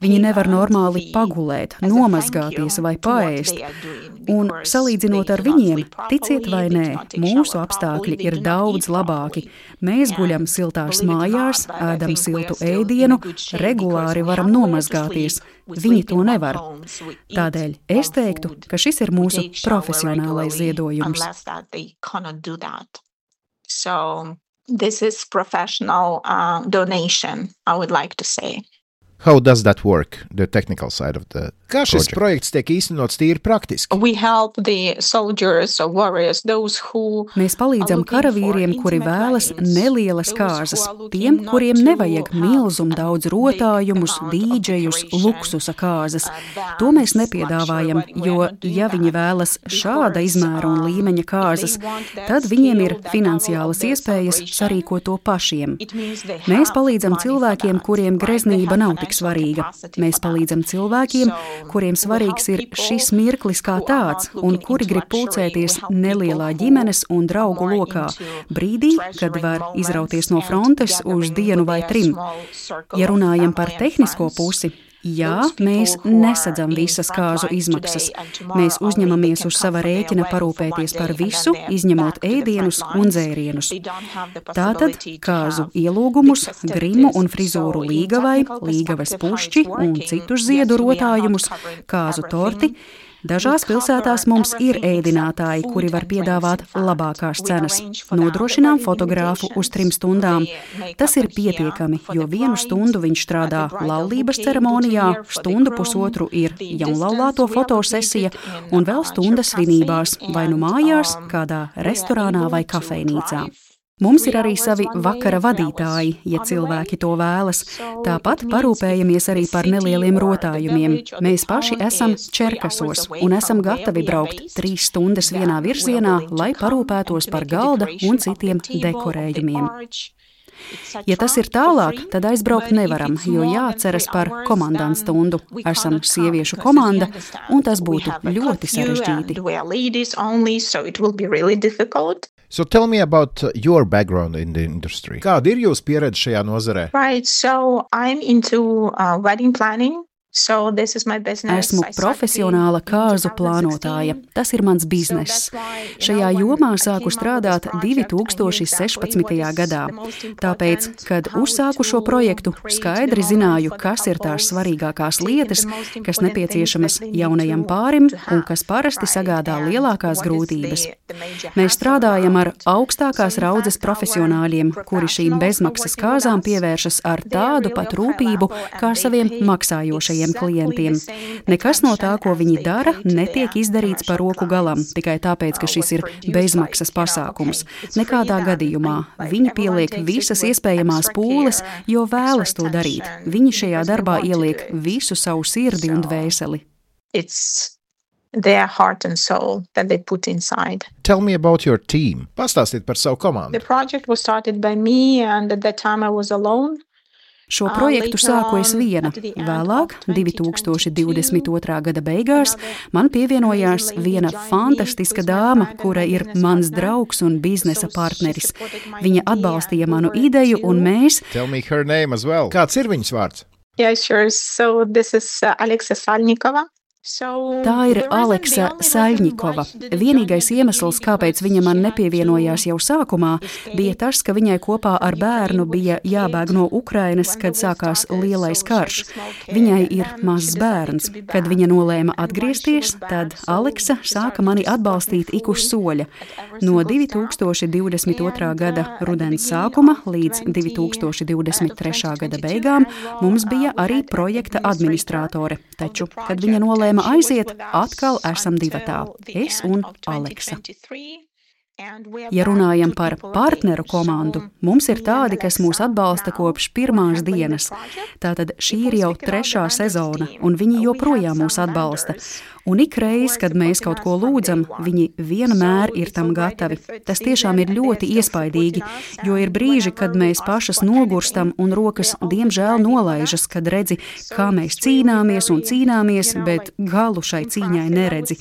Viņi nevar normāli pagulēt, nomazgāties vai paēst. Un salīdzinot ar viņiem, ticiet vai nē, mūsu apstākļi ir daudz labāki. Mēs guļam siltās mājās, ēdam siltu ēdienu, regulāri varam nomazgāties. Viņi to nevar. Tādēļ es teiktu, ka šis ir mūsu profesionālais ziedojums. So this is professional uh, donation, I would like to say. How does that work, the technical side of the Kā šis project? projekts tiek īstenots tīri praktiski? We help the soldiers or warriors, those who Mēs palīdzam karavīriem, kuri vēlas nelielas kāzas, tiem, kuriem nevajag milzum daudz rotājumus, dīdžejus, luksusa kāzas. To mēs nepiedāvājam, jo, ja viņi vēlas šāda izmēra un līmeņa kāzas, tad viņiem ir finansiālas iespējas sarīkot to pašiem. Mēs palīdzam cilvēkiem, kuriem greznība nav tik svarīga. Mēs palīdzam cilvēkiem, kuriem svarīgs ir šis mirklis kā tāds, un kuri grib pulcēties nelielā ģimenes un draugu lokā, brīdī, kad var izrauties no frontes uz dienu vai trim. Ja runājam par tehnisko pusi, jā, mēs nesadzam visas kāzu izmaksas. Mēs uzņemamies uz sava rēķina parūpēties par visu, izņemot ēdienus un dzērienus. Tātad kāzu ielūgumus, grimu un frizūru līgavai, līgavas pušķi un citus ziedu rotājumus, kāzu torti. Dažās pilsētās mums ir ēdinātāji, kuri var piedāvāt labākās cenas. Nodrošinām fotogrāfu uz trim stundām. Tas ir pietiekami, jo vienu stundu viņš strādā laulības ceremonijā, stundu pusotru ir jaunlaulāto fotosesija un vēl stunda svinībās, vai nu mājās, kādā restorānā vai kafejnīcā. Mums ir arī savi vakara vadītāji, ja cilvēki to vēlas. Tāpat parūpējamies arī par nelieliem rotājumiem. Mēs paši esam Čerkasos un esam gatavi braukt trīs stundas vienā virzienā, lai parūpētos par galda un citiem dekorējumiem. Ja tas ir tālāk, tad aizbraukt nevaram, jo jāatceras par komandantu stundu. Esam sieviešu komanda, un tas būtu ļoti sarežģīti. So tell me about your background in the industry. Kāda ir jūsu pieredze šajā nozarē? Right, so I'm into uh, wedding planning. So this is my business. Esmu profesionāla kāzu plānotāja. Tas ir mans bizness. Šajā jomā sāku strādāt divi tūkstoši sešpadsmitajā gadā. Tāpēc, kad uzsāku šo projektu, skaidri zināju, kas ir tās svarīgākās lietas, kas nepieciešamas jaunajam pārim un kas parasti sagādā lielākās grūtības. Mēs strādājam ar augstākās raudzes profesionāļiem, kuri šīm bezmaksas kāzām pievēršas ar tādu pat rūpību kā saviem maksājošajiem klientiem. Nekas no tā, ko viņi dara, netiek izdarīts par roku galam, tikai tāpēc, ka šis ir bezmaksas pasākums. Nekādā gadījumā. Viņi pieliek visas iespējamās pūles, jo vēlas to darīt. Viņi šajā darbā ieliek visu savu sirdi un dvēseli. It's their heart and soul that they put inside. Tell me about your team. Pastāstiet par savu komandu. The project was started by me, and at that time I was alone. Šo projektu sāku es viena. Vēlāk, divi tūkstoši divdesmit otrā gada beigās, man pievienojās viena fantastiska dāma, kura ir mans draugs un biznesa partneris. Viņa atbalstīja manu ideju, un mēs... Tell me her name as well. Kāds ir viņas vārds? Yeah, sure. So this is uh, Aleksa Salnikova. Tā ir Aleksa Saļņikova. Vienīgais iemesls, kāpēc viņa man nepievienojās jau sākumā, bija tas, ka viņai kopā ar bērnu bija jābēg no Ukrainas, kad sākās lielais karš. Viņai ir mazs bērns. Kad viņa nolēma atgriezties, tad Aleksa sāka mani atbalstīt ik uz soļa. No divi tūkstoši divdesmit otrā gada rudens sākuma līdz divi tūkstoši divdesmit trešā gada beigām mums bija arī projekta administrātore. Taču, kad viņa nolēma aiziet, atkal esam divatā – es un Aleksa. Ja runājam par partneru komandu, mums ir tādi, kas mūs atbalsta kopš pirmās dienas. Tātad šī ir jau trešā sezona, un viņi joprojām mūs atbalsta. Un ikreiz, kad mēs kaut ko lūdzam, viņi vienmēr ir tam gatavi. Tas tiešām ir ļoti iespaidīgi, jo ir brīži, kad mēs pašas nogurstam un rokas diemžēl nolaižas, kad redzi, kā mēs cīnāmies un cīnāmies, bet galu šai cīņai neredzi.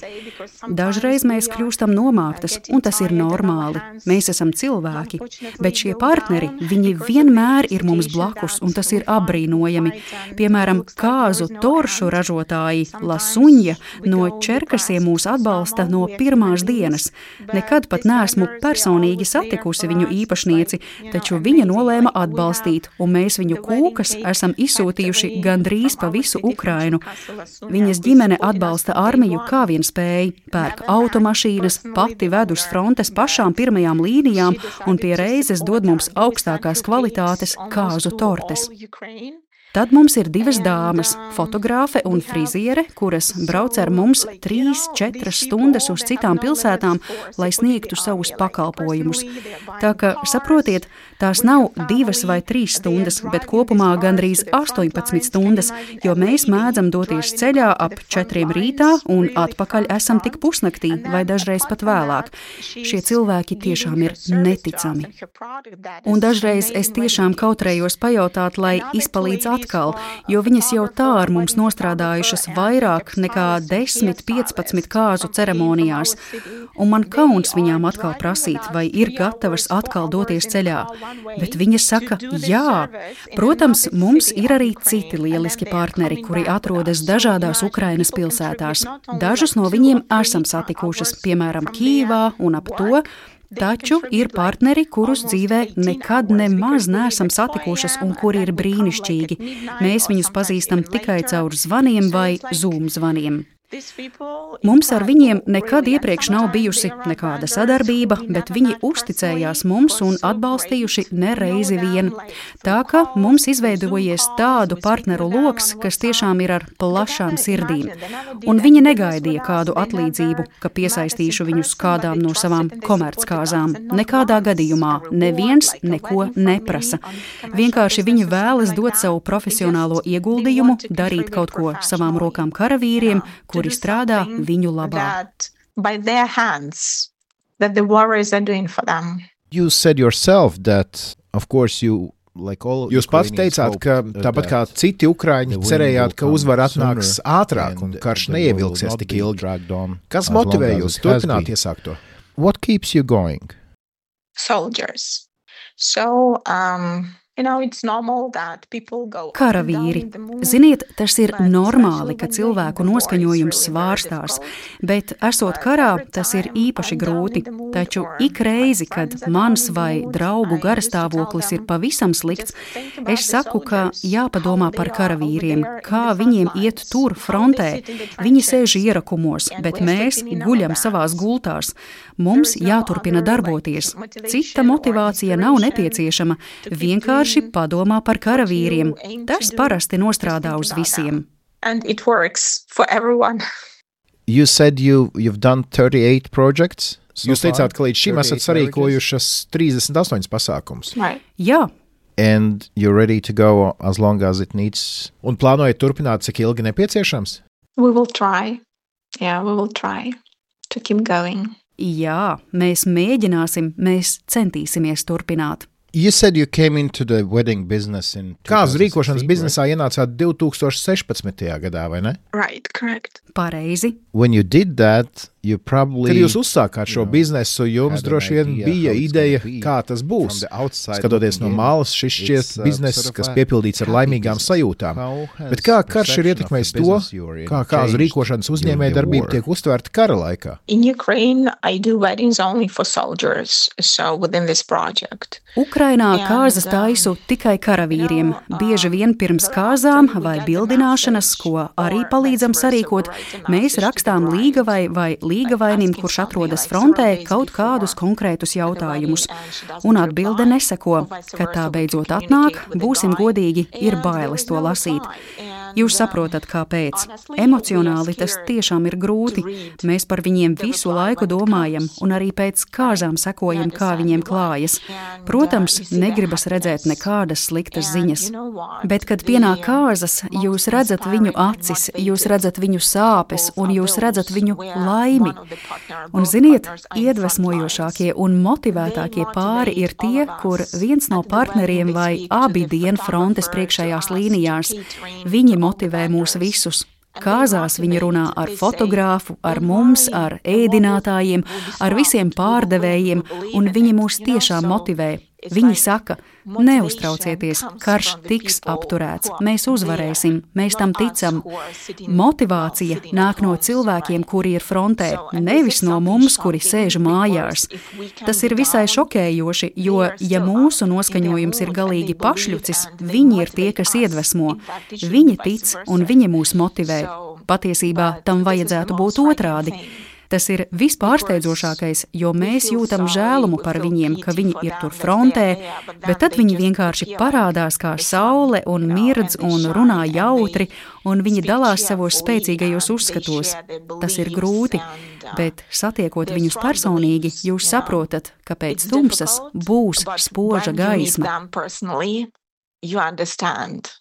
Dažreiz mēs kļūstam nomāktas, un tas ir normāli. Mēs esam cilvēki, bet šie partneri, viņi vienmēr ir mums blakus, un tas ir apbrīnojami. Piemēram, kāzu toršu ražotāji Lasuņa no Čerkasiem mūs atbalsta no pirmās dienas. Nekad pat neesmu personīgi satikusi viņu īpašnieci, taču viņa nolēma atbalstīt, un mēs viņu kūkas esam izsūtījuši gandrīz pa visu Ukrainu. Viņas ģimene atbalsta armiju kā vien spēj, pērk automašīnas, pati ved uz frontes pašām pirmajām līnijām un pie reizes dod mums augstākās kvalitātes kāzu tortes. Tad mums ir divas dāmas, fotogrāfe un friziere, kuras brauc ar mums trīs, četras stundas uz citām pilsētām, lai sniegtu savus pakalpojumus. Tā ka, saprotiet, tās nav divas vai trīs stundas, bet kopumā gandrīz astoņpadsmit stundas, jo mēs mēdzam doties ceļā ap četriem rītā un atpakaļ esam tik pusnaktī vai dažreiz pat vēlāk. Šie cilvēki tiešām ir neticami. Un dažreiz es tiešām kautrējos pajautāt, lai izpalīdz atkal. Atkal, jo viņas jau tā ar mums nostrādājušas vairāk nekā desmit, piecpadsmit kāzu ceremonijās, un man kauns viņām atkal prasīt, vai ir gatavas atkal doties ceļā. Bet viņas saka, jā. Protams, mums ir arī citi lieliski partneri, kuri atrodas dažādās Ukrainas pilsētās. Dažus no viņiem esam satikušas, piemēram, Kīvā un ap to, taču ir partneri, kurus dzīvē nekad nemaz neesam satikušas un kuri ir brīnišķīgi. Mēs viņus pazīstam tikai caur zvaniem vai Zoom zvaniem. Mums ar viņiem nekad iepriekš nav bijusi nekāda sadarbība, bet viņi uzticējās mums un atbalstījuši nereizi vien. Tā ka mums izveidojies tādu partneru loks, kas tiešām ir ar plašām sirdīm. Un viņi negaidīja kādu atlīdzību, ka piesaistīšu viņus kādām no savām komerckāzām. Nekādā gadījumā neviens neko neprasa. Vienkārši viņi vēlas dot savu profesionālo ieguldījumu, darīt kaut ko savām rokām karavīriem, kuri strādā viņu labā. You said yourself that, of course, you Jūs pats teicāt, ka tāpat kā citi ukraiņi cerējāt, ka uzvara atnāks ātrāk un karš neievilksies tik ilgi. Kas motivē jūs turpināt iesākto? What keeps you going? Soldiers. So, um... Karavīri. Ziniet, tas ir normāli, ka cilvēku noskaņojums svārstās, bet esot karā, tas ir īpaši grūti. Taču ik reizi, kad mans vai draugu garastāvoklis ir pavisam slikts, es saku, ka jāpadomā par karavīriem, kā viņiem iet tur frontē. Viņi sēž ierakumos, bet mēs guļam savās gultās. Mums jāturpina darboties. Cita motivācija nav nepieciešama. Vienkārši padomā par karavīriem. Tas parasti nostrādā uz visiem. You said you, you've done thirty-eight projects. So Jūs teicāt, ka līdz šim esat sarīkojušas trīsdesmit astoņus pasākumus. Right. Jā. And you're ready to go as long as it needs. Un plānojat turpināt, cik ilgi nepieciešams? We will try. Yeah, we will try to keep going. Jā, mēs mēģināsim, mēs centīsimies turpināt. You said you came into the wedding business in Kāzu rīkošanas biznesā ienācāt divtūkstoš sešpadsmitajā gadā, vai ne? Right, correct. Pareizi. When you did that, you probably... Kad jūs uzsākāt šo biznesu, jums droši vien bija ideja, kā tas būs. Skatoties no malas, šis šķiet bizness, kas piepildīts ar laimīgām sajūtām. Bet kā karš ir ietekmējis to, kā kāzu rīkošanas uzņēmēja darbība tiek uztvērta kara laikā? In Ukraine, I do weddings only for soldiers, so within this project. Ukrainā kāzas taisu tikai karavīriem. Bieži vien pirms kāzām vai bildināšanas, ko arī palīdzam sarīkot, mēs rakstām līgavai vai līgavai līgavainim, kurš atrodas frontē, kaut kādus konkrētus jautājumus. Un atbilde neseko, kad tā beidzot atnāk, būsim godīgi, ir bailes to lasīt. Jūs saprotat, kāpēc. Emocionāli tas tiešām ir grūti. Mēs par viņiem visu laiku domājam un arī pēc kāzām sekojam, kā viņiem klājas. Protams, negribas redzēt nekādas sliktas ziņas. Bet, kad pienāk kāzas, jūs redzat viņu acis, jūs redzat viņu sāpes un jūs redzat viņu laimi. Un ziniet, iedvesmojošākie un motivētākie pāri ir tie, kur viens no partneriem vai abi dien frontes priekšējās līnijās. Viņi motivē mūs visus. Kāzās viņi runā ar fotogrāfu, ar mums, ar ēdinātājiem, ar visiem pārdevējiem, un viņi mūs tiešām motivē. Viņi saka, neuztraucieties, karš tiks apturēts, mēs uzvarēsim, mēs tam ticam. Motivācija nāk no cilvēkiem, kuri ir frontē, nevis no mums, kuri sēž mājās. Tas ir visai šokējoši, jo, ja mūsu noskaņojums ir galīgi pašļucis, viņi ir tie, kas iedvesmo. Viņi tic un viņi mūs motivē. Patiesībā tam vajadzētu būt otrādi. Tas ir vispārsteidzošākais, jo mēs jūtam žēlumu par viņiem, ka viņi ir tur frontē, bet tad viņi vienkārši parādās kā saule un mirdz un runā jautri, un viņi dalās savos spēcīgajos uzskatos. Tas ir grūti, bet satiekot viņus personīgi, jūs saprotat, ka pēc tumsas būs spoža gaisma. You understand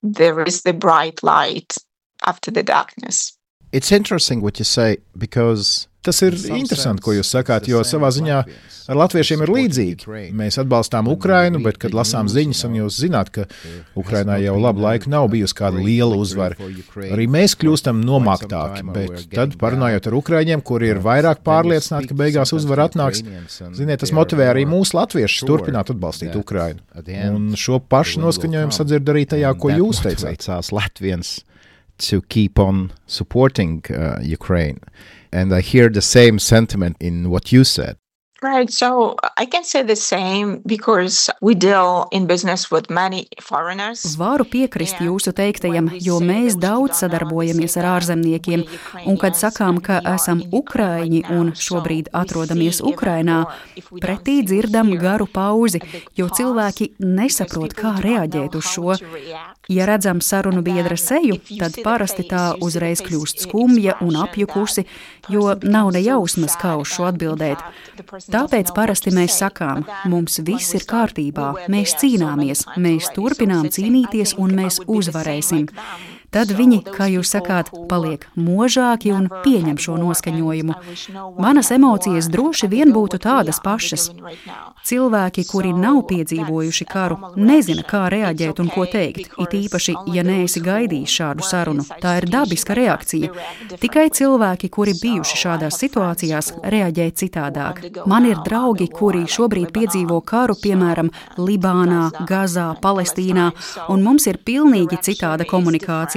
there is the bright light after the darkness. It's interesting what you say, because tas ir interesanti, ko jūs sakāt, jo savā ziņā ar latviešiem ir līdzīgi. Mēs atbalstām Ukrainu, bet, kad lasām ziņas, un jūs zināt, ka Ukrainā jau labu laiku nav bijusi kāda liela uzvara, arī mēs kļūstam nomāktāki, bet tad, parunājot ar ukraiņiem, kuri ir vairāk pārliecināti, ka beigās uzvara atnāks, ziniet, tas motivē arī mūsu latviešus turpināt atbalstīt Ukrainu. Un šo pašu noskaņojumu sadzird arī tajā, ko jūs teicāt. To keep on supporting uh, Ukraine. And I hear the same sentiment in what you said. Right, so I can say the same because we deal in business with many foreigners. Varu piekrist jūsu teiktajam, jo mēs daudz sadarbojamies ar ārzemniekiem, un kad sakām, ka esam ukraiņi un šobrīd atrodamies Ukrainā, pretī dzirdam garu pauzi, jo cilvēki nesaprot, kā reaģēt uz šo. Ja redzam sarunu biedra seju, tad parasti tā uzreiz kļūst skumja un apjukusi, jo nav ne jausmas, kā uz šo atbildēt. Tāpēc parasti mēs sakām, mums viss ir kārtībā, mēs cīnāmies, mēs turpinām cīnīties un mēs uzvarēsim. Tad viņi, kā jūs sakāt, paliek možāki un pieņem šo noskaņojumu. Manas emocijas droši vien būtu tādas pašas. Cilvēki, kuri nav piedzīvojuši karu, nezina, kā reaģēt un ko teikt, it īpaši, ja neesi gaidījis šādu sarunu. Tā ir dabiska reakcija. Tikai cilvēki, kuri bijuši šādās situācijās, reaģē citādāk. Man ir draugi, kuri šobrīd piedzīvo karu, piemēram, Libānā, Gazā, Palestīnā, un mums ir pilnīgi citāda komunikācija.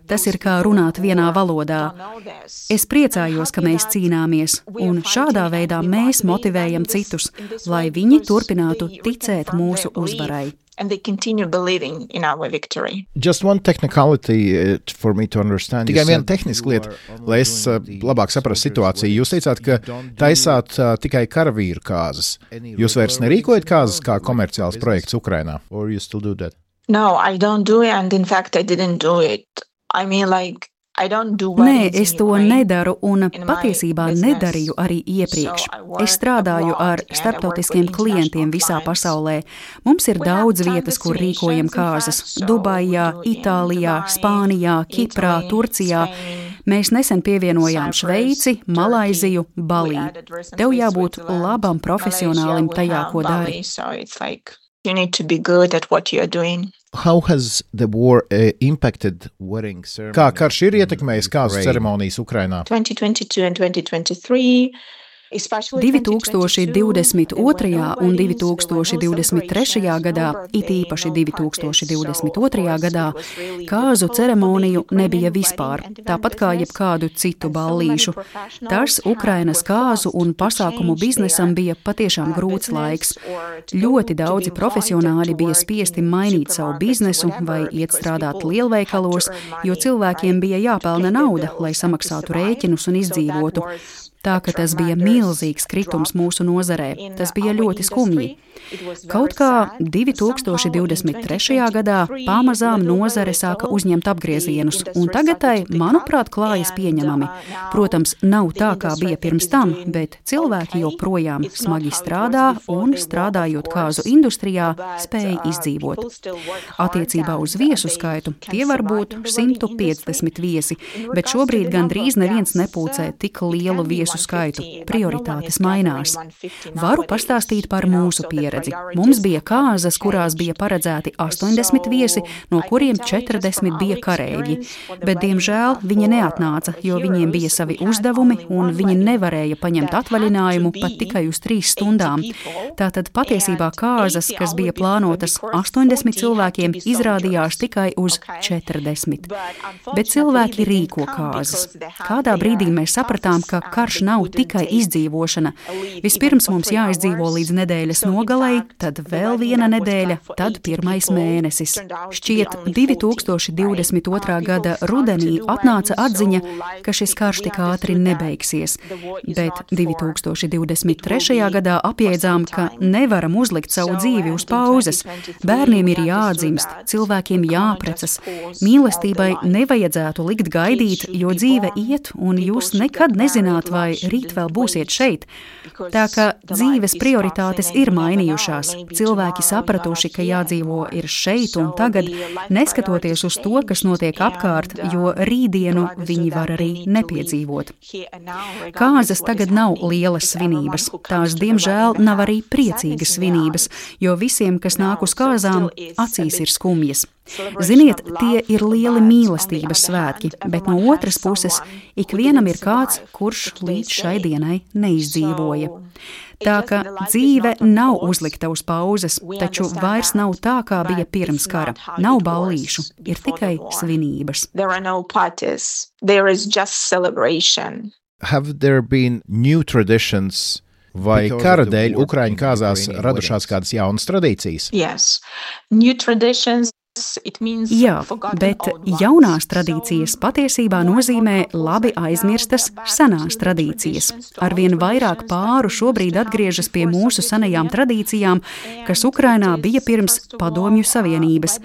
Tas ir kā runāt vienā valodā. Es priecājos, ka mēs cīnāmies, un šādā veidā mēs motivējam citus, lai viņi turpinātu ticēt mūsu uzvarai. And they continue believing in our victory. Just one technicality uh, for me to understand. Tikai viena tehniska lieta, lai es uh, labāk saprastu situāciju. Jūs teicāt, ka taisāt uh, tikai karavīru kāzas. Jūs vairs nerīkojat kāzas kā komerciāls projekts Ukrainā? Or you still do that? No, I don't do it, and in fact I didn't do it. I mean, like, Nē, es to nedaru un patiesībā nedarīju arī iepriekš. Es strādāju ar starptautiskiem klientiem visā pasaulē. Mums ir daudz vietas, kur rīkojam kāzas – Dubajā, Itālijā, Spānijā, Kiprā, Turcijā. Mēs nesen pievienojām Šveici, Malaiziju, Balī. Tev jābūt labam profesionālim tajā, ko dari. You need to be good at what you are doing. How has the war uh, impacted wedding ceremonies? Kā karš ir ietekmējis kāzu ceremonijas Ukrainā? twenty twenty-two and twenty twenty-three divi tūkstoši divdesmit otrajā un divi tūkstoši divdesmit trešajā gadā, it īpaši divi tūkstoši divdesmit otrajā gadā, kāzu ceremoniju nebija vispār, tāpat kā jebkādu citu ballīšu. Tas Ukrainas kāzu un pasākumu biznesam bija patiešām grūts laiks. Ļoti daudzi profesionāļi bija spiesti mainīt savu biznesu vai iet strādāt lielveikalos, jo cilvēkiem bija jāpelna nauda, lai samaksātu rēķinus un izdzīvotu. Tā ka tas bija milzīgs kritums mūsu nozarē. Tas bija ļoti skumji. Kaut kā divi tūkstoši divdesmit trešajā gadā pamazām nozare sāka uzņemt apgriezienus, un tagad tai, manuprāt, klājas pieņemami. Protams, nav tā, kā bija pirms tam, bet cilvēki joprojām smagi strādā un, strādājot kāzu industrijā, spēja izdzīvot. Attiecībā uz viesu skaitu tie var būt simt piecdesmit viesi, bet šobrīd gandrīz neviens nepulcē tik lielu viesu skaitu. Prioritātes mainās. Varu pastāstīt par mūsu pieredzi. Mums bija kāzas, kurās bija paredzēti astoņdesmit viesi, no kuriem četrdesmit bija kareivji. Bet, diemžēl, viņi neatnāca, jo viņiem bija savi uzdevumi, un viņi nevarēja paņemt atvaļinājumu pat tikai uz trīs stundām. Tātad patiesībā kāzas, kas bija plānotas astoņdesmit cilvēkiem, izrādījās tikai uz četrdesmit. Bet cilvēki rīko kāzas. Kādā brīdī mēs sapratām, ka karš nav tikai izdzīvošana. Vispirms mums jāizdzīvo līdz nedēļas nogalei, tad vēl viena nedēļa, tad pirmais mēnesis. Šķiet, divi tūkstoši divdesmit otrā gada rudenī atnāca atziņa, ka šis karš tik ātri nebeigsies, bet divi tūkstoši divdesmit trešajā gadā apjēdzām, ka nevaram uzlikt savu dzīvi uz pauzes. Bērniem ir jādzimst, cilvēkiem jāprecas. Mīlestībai nevajadzētu likt gaidīt, jo dzīve iet, un jūs nekad nezināt, vai rīt vēl būsiet šeit. Tā ka dzīves prioritātes ir mainījušās. Cilvēki sapratuši, ka jādzīvo ir šeit un tagad, neskatoties uz to, kas notiek apkārt, jo rītdienu viņi var arī nepiedzīvot. Kāzas tagad nav lielas svinības. Tās, diemžēl, nav arī priecīgas svinības, jo visiem, kas nāk uz kāzām, acīs ir skumjas. Ziniet, tie ir lieli mīlestības svētki, bet no otras puses ikvienam ir kāds, kurš līdz šai dienai neizdzīvoja. Tā ka dzīve nav uzlikta uz pauzes, taču vairs nav tā, kā bija pirms kara. Nav ballīšu, ir tikai svinības. Have there been new traditions? Vai kara dēļ Ukraiņu kāzās radušās kādas jaunas tradīcijas? Yes, new traditions. Jā, bet jaunās tradīcijas patiesībā nozīmē labi aizmirstas senās tradīcijas. Arvien vairāk pāru šobrīd atgriežas pie mūsu senajām tradīcijām, kas Ukrainā bija pirms Padomju Savienības.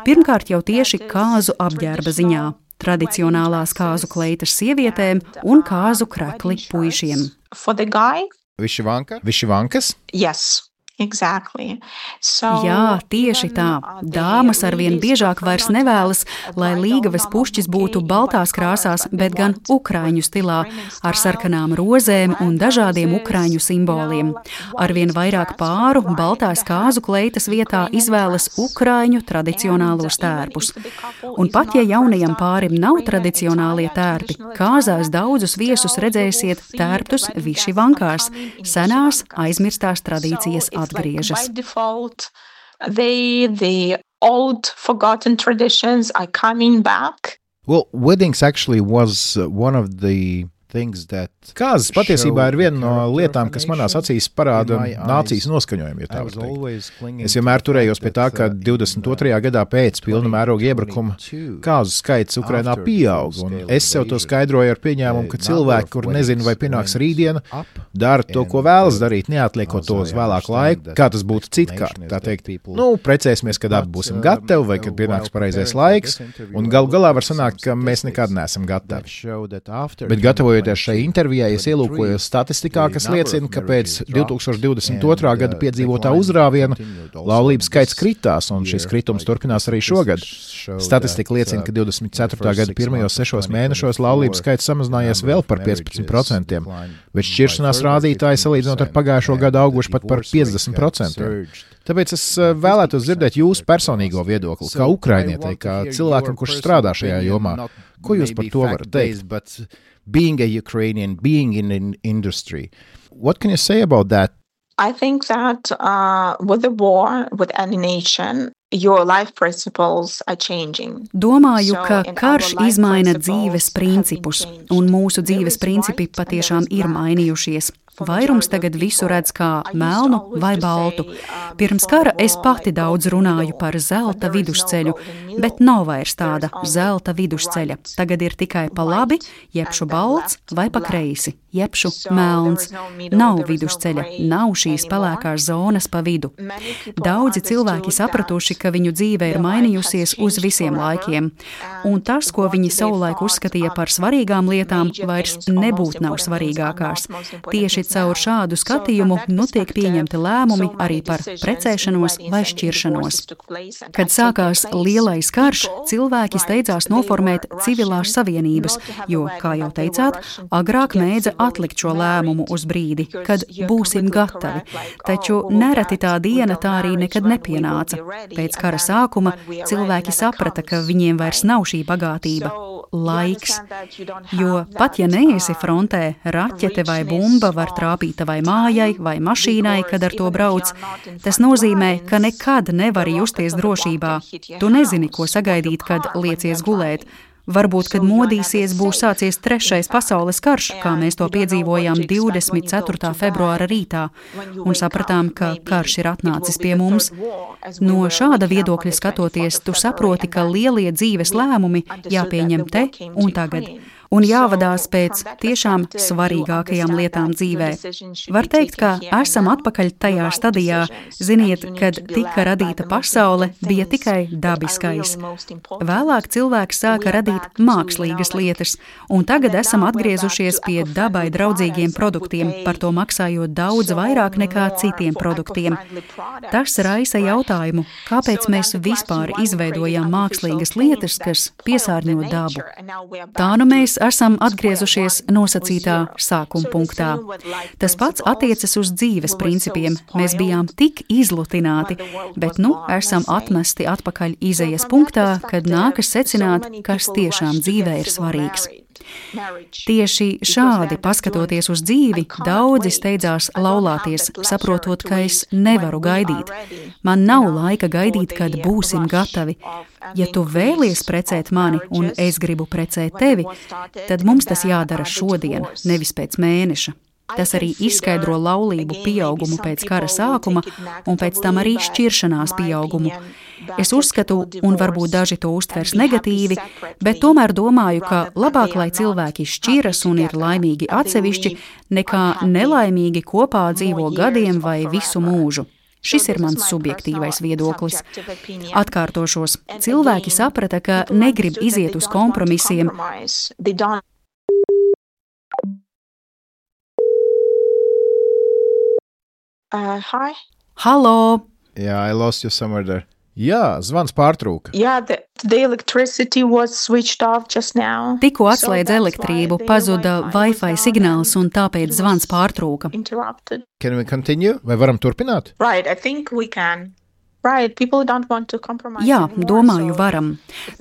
Pirmkārt jau tieši kāzu apģērba ziņā, tradicionālās kāzu kleitas sievietēm un kāzu krekli puišiem. Višivanka? Višivankas? Yes. Exactly. So, Jā, tieši tā. Dāmas arvien biežāk vairs nevēlas, lai līgavas pušķis būtu baltās krāsās, bet gan ukraiņu stilā, ar sarkanām rozēm un dažādiem ukraiņu simboliem. Arvien vairāk pāru baltās kāzu kleitas vietā izvēlas ukraiņu tradicionālos tērpus. Un pat ja jaunajam pārim nav tradicionālie tērpi, kāzās daudzus viesus redzēsiet tērptus višivankās, senās aizmirstās tradīcijas atgriežas. By default, they, the old forgotten traditions are coming back. Well, weddings actually was one of the things that Kāzas patiesībā ir viena no lietām, kas manās acīs parāda nācijas noskaņojumu, ja tā var teikt. Es vienmēr turējos pie tā, ka divdesmit otrajā gadā pēc pilna mēroga iebrukuma kāzu skaits Ukrainā pieaug, un es sev to skaidroju ar pieņēmumu, ka cilvēki, kur nezina, vai pienāks rītdiena, dara to, ko vēlas darīt, neatliekot to uz vēlāku laiku, kā tas būtu citkārt. Tā teikt, nu, precēsimies, kad abi būsim gatavi, vai kad pienāks pareizais laiks, un galu galā var sanākt, ka mēs nekad neesam gatavi. Bet gatavojoties šai intervijai, es ielūkojos statistikā, kas liecina, ka pēc divtūkstoš divdesmit otrā gada piedzīvotā uzrāviena laulības skaits kritās, un šis kritums turpinās arī šogad. Statistika liecina, ka divdesmit ceturtā gada pirmajos sešos mēnešos laulības skaits samazinājies vēl par piecpadsmit procentiem, bet šķiršanās rādītāji salīdzinot ar pagājušo gadu auguši pat par piecdesmit procentiem. Tāpēc es vēlētos dzirdēt jūsu personīgo viedokli, kā ukrainietei, kā cilvēkam, kurš strādā šajā jomā. Ko jūs par to varat teikt? Being a Ukrainian, being in an industry, What can you say about that? I think that uh, with the war, with any nation, your life principles are changing. Domāju, ka karš izmaina dzīves principus, un mūsu dzīves principi patiešām ir mainījušies. Vairums tagad visu redz kā melnu vai baltu. Pirms kara es pati daudz runāju par zelta vidusceļu, bet nav vairs tāda zelta vidusceļa. Tagad ir tikai pa labi, jebšu balts vai pa kreisi, jebšu melns. Nav vidusceļa, nav šīs pelēkās zonas pa vidu. Daudzi cilvēki sapratuši, ka viņu dzīve ir mainījusies uz visiem laikiem, un tas, ko viņi savulaik uzskatīja par svarīgām lietām, vairs nebūt nav svarīgākās. Tieši caur šādu skatījumu nu tiek pieņemti lēmumi arī par precēšanos vai šķiršanos. Kad sākās lielais karš, cilvēki steidzās noformēt civilās savienības, jo, kā jau teicāt, agrāk mēdza atlikt šo lēmumu uz brīdi, kad būsim gatavi. Taču nereti tā diena tā arī nekad nepienāca. Pēc kara sākuma cilvēki saprata, ka viņiem vairs nav šī bagātība. Laiks. Jo pat ja neesi frontē, raķete vai bumba var trāpīt tavai mājai vai mašīnai, kad ar to brauc, tas nozīmē, ka nekad nevari justies drošībā. Tu nezini, ko sagaidīt, kad liecies gulēt. Varbūt, kad modīsies, būs sācies trešais pasaules karš, kā mēs to piedzīvojām divdesmit ceturtā februāra rītā, un sapratām, ka karš ir atnācis pie mums. No šāda viedokļa skatoties, tu saproti, ka lielie dzīves lēmumi jāpieņem te un tagad. Un jāvadās pēc tiešām svarīgākajām lietām dzīvē. Var teikt, ka esam atpakaļ tajā stadijā, ziniet, kad tika radīta pasaule, bija tikai dabiskais. Vēlāk cilvēks sāka radīt mākslīgas lietas, un tagad esam atgriezušies pie dabai draudzīgiem produktiem, par to maksājot daudz vairāk nekā citiem produktiem. Tas raisa jautājumu, kāpēc mēs vispār izveidojam mākslīgas lietas, kas piesārņo dabu. Tā nu mēs esam atgriezušies nosacītā sākuma punktā. Tas pats attiecas uz dzīves principiem. Mēs bijām tik izlutināti, bet nu esam atmesti atpakaļ izejas punktā, kad nākas secināt, kas tiešām dzīvē ir svarīgs. Tieši šādi, paskatoties uz dzīvi, daudzi steidzās laulāties, saprotot, ka es nevaru gaidīt. Man nav laika gaidīt, kad būsim gatavi. Ja tu vēlies precēt mani un es gribu precēt tevi, tad mums tas jādara šodien, nevis pēc mēneša. Tas arī izskaidro laulību pieaugumu pēc kara sākuma un pēc tam arī šķiršanās pieaugumu. Es uzskatu, un varbūt daži to uztvers negatīvi, bet tomēr domāju, ka labāk, lai cilvēki šķiras un ir laimīgi atsevišķi, nekā nelaimīgi kopā dzīvo gadiem vai visu mūžu. Šis ir mans subjektīvais viedoklis. Atkārtošos, cilvēki saprata, ka negrib iziet uz kompromisiem. Uh, hi. Halo! Yeah, I lost you somewhere there. Jā, zvans pārtrūka. Yeah, the, the electricity was switched off just now. Tikko atslēdz elektrību, pazuda Wi-Fi signāls un tāpēc zvans pārtrūka. Interrupted. Can we continue? Vai varam turpināt? Right, I think we can. Right, people don't want to compromise. Jā, domāju, varam.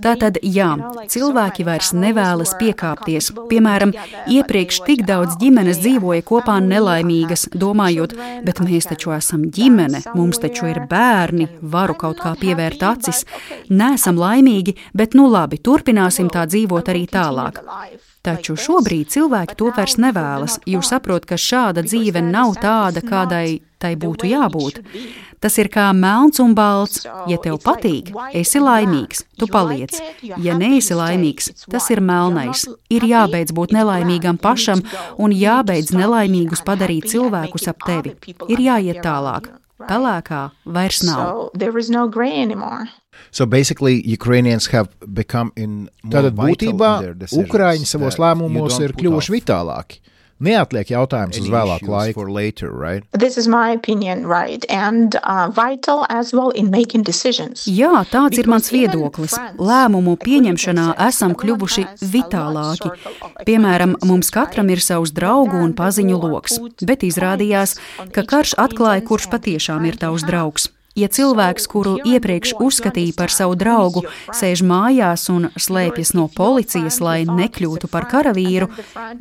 Tātad, jā, cilvēki vairs nevēlas piekāpties. Piemēram, iepriekš tik daudz ģimenes dzīvoja kopā nelaimīgas, domājot, bet mēs taču esam ģimene, mums taču ir bērni, varu kaut kā pievērt acis. Nesam laimīgi, bet nu labi, turpināsim tā dzīvot arī tālāk. Taču šobrīd cilvēki to vairs nevēlas, jo saprot, ka šāda dzīve nav tāda, kādai tai būtu jābūt. Tas ir kā melns un balts. Ja tev patīk, esi laimīgs, tu paliec. Ja neesi laimīgs, tas ir melnais. Ir jābeidz būt nelaimīgam pašam un jābeidz nelaimīgus padarīt cilvēkus ap tevi. Ir jāiet tālāk. Pelēkā vairs nav. So basically, Ukrainians have become in Tātad būtībā Ukraiņi savos lēmumos ir kļuvuši vitālāki. Neatliek jautājums uz vēlāku laiku. Later, right? This is my opinion, right? And uh, vital as well in making decisions. Jā, tāds ir mans viedoklis. Lēmumu pieņemšanā esam kļuvuši vitālāki. Piemēram, mums katram ir savs draugu un paziņu loks, bet izrādījās, ka karš atklāja, kurš patiešām ir tavs draugs. Ja cilvēks, kuru iepriekš uzskatīja par savu draugu, sēž mājās un slēpjas no policijas, lai nekļūtu par karavīru,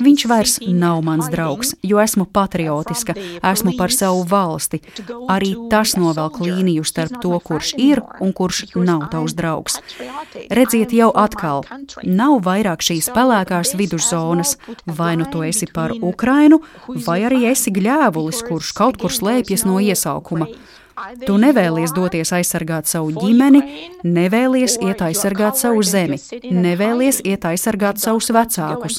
viņš vairs nav mans draugs, jo esmu patriotiska, esmu par savu valsti. Arī tas novelk līniju starp to, kurš ir un kurš nav tavs draugs. Redziet jau atkal, nav vairāk šīs pelēkās viduszonas, vai nu tu esi par Ukrainu, vai arī esi gļēvulis, kurš kaut kur slēpjas no iesaukuma. Tu nevēlies doties aizsargāt savu ģimeni, nevēlies iet aizsargāt savu zemi, nevēlies iet aizsargāt savus vecākus.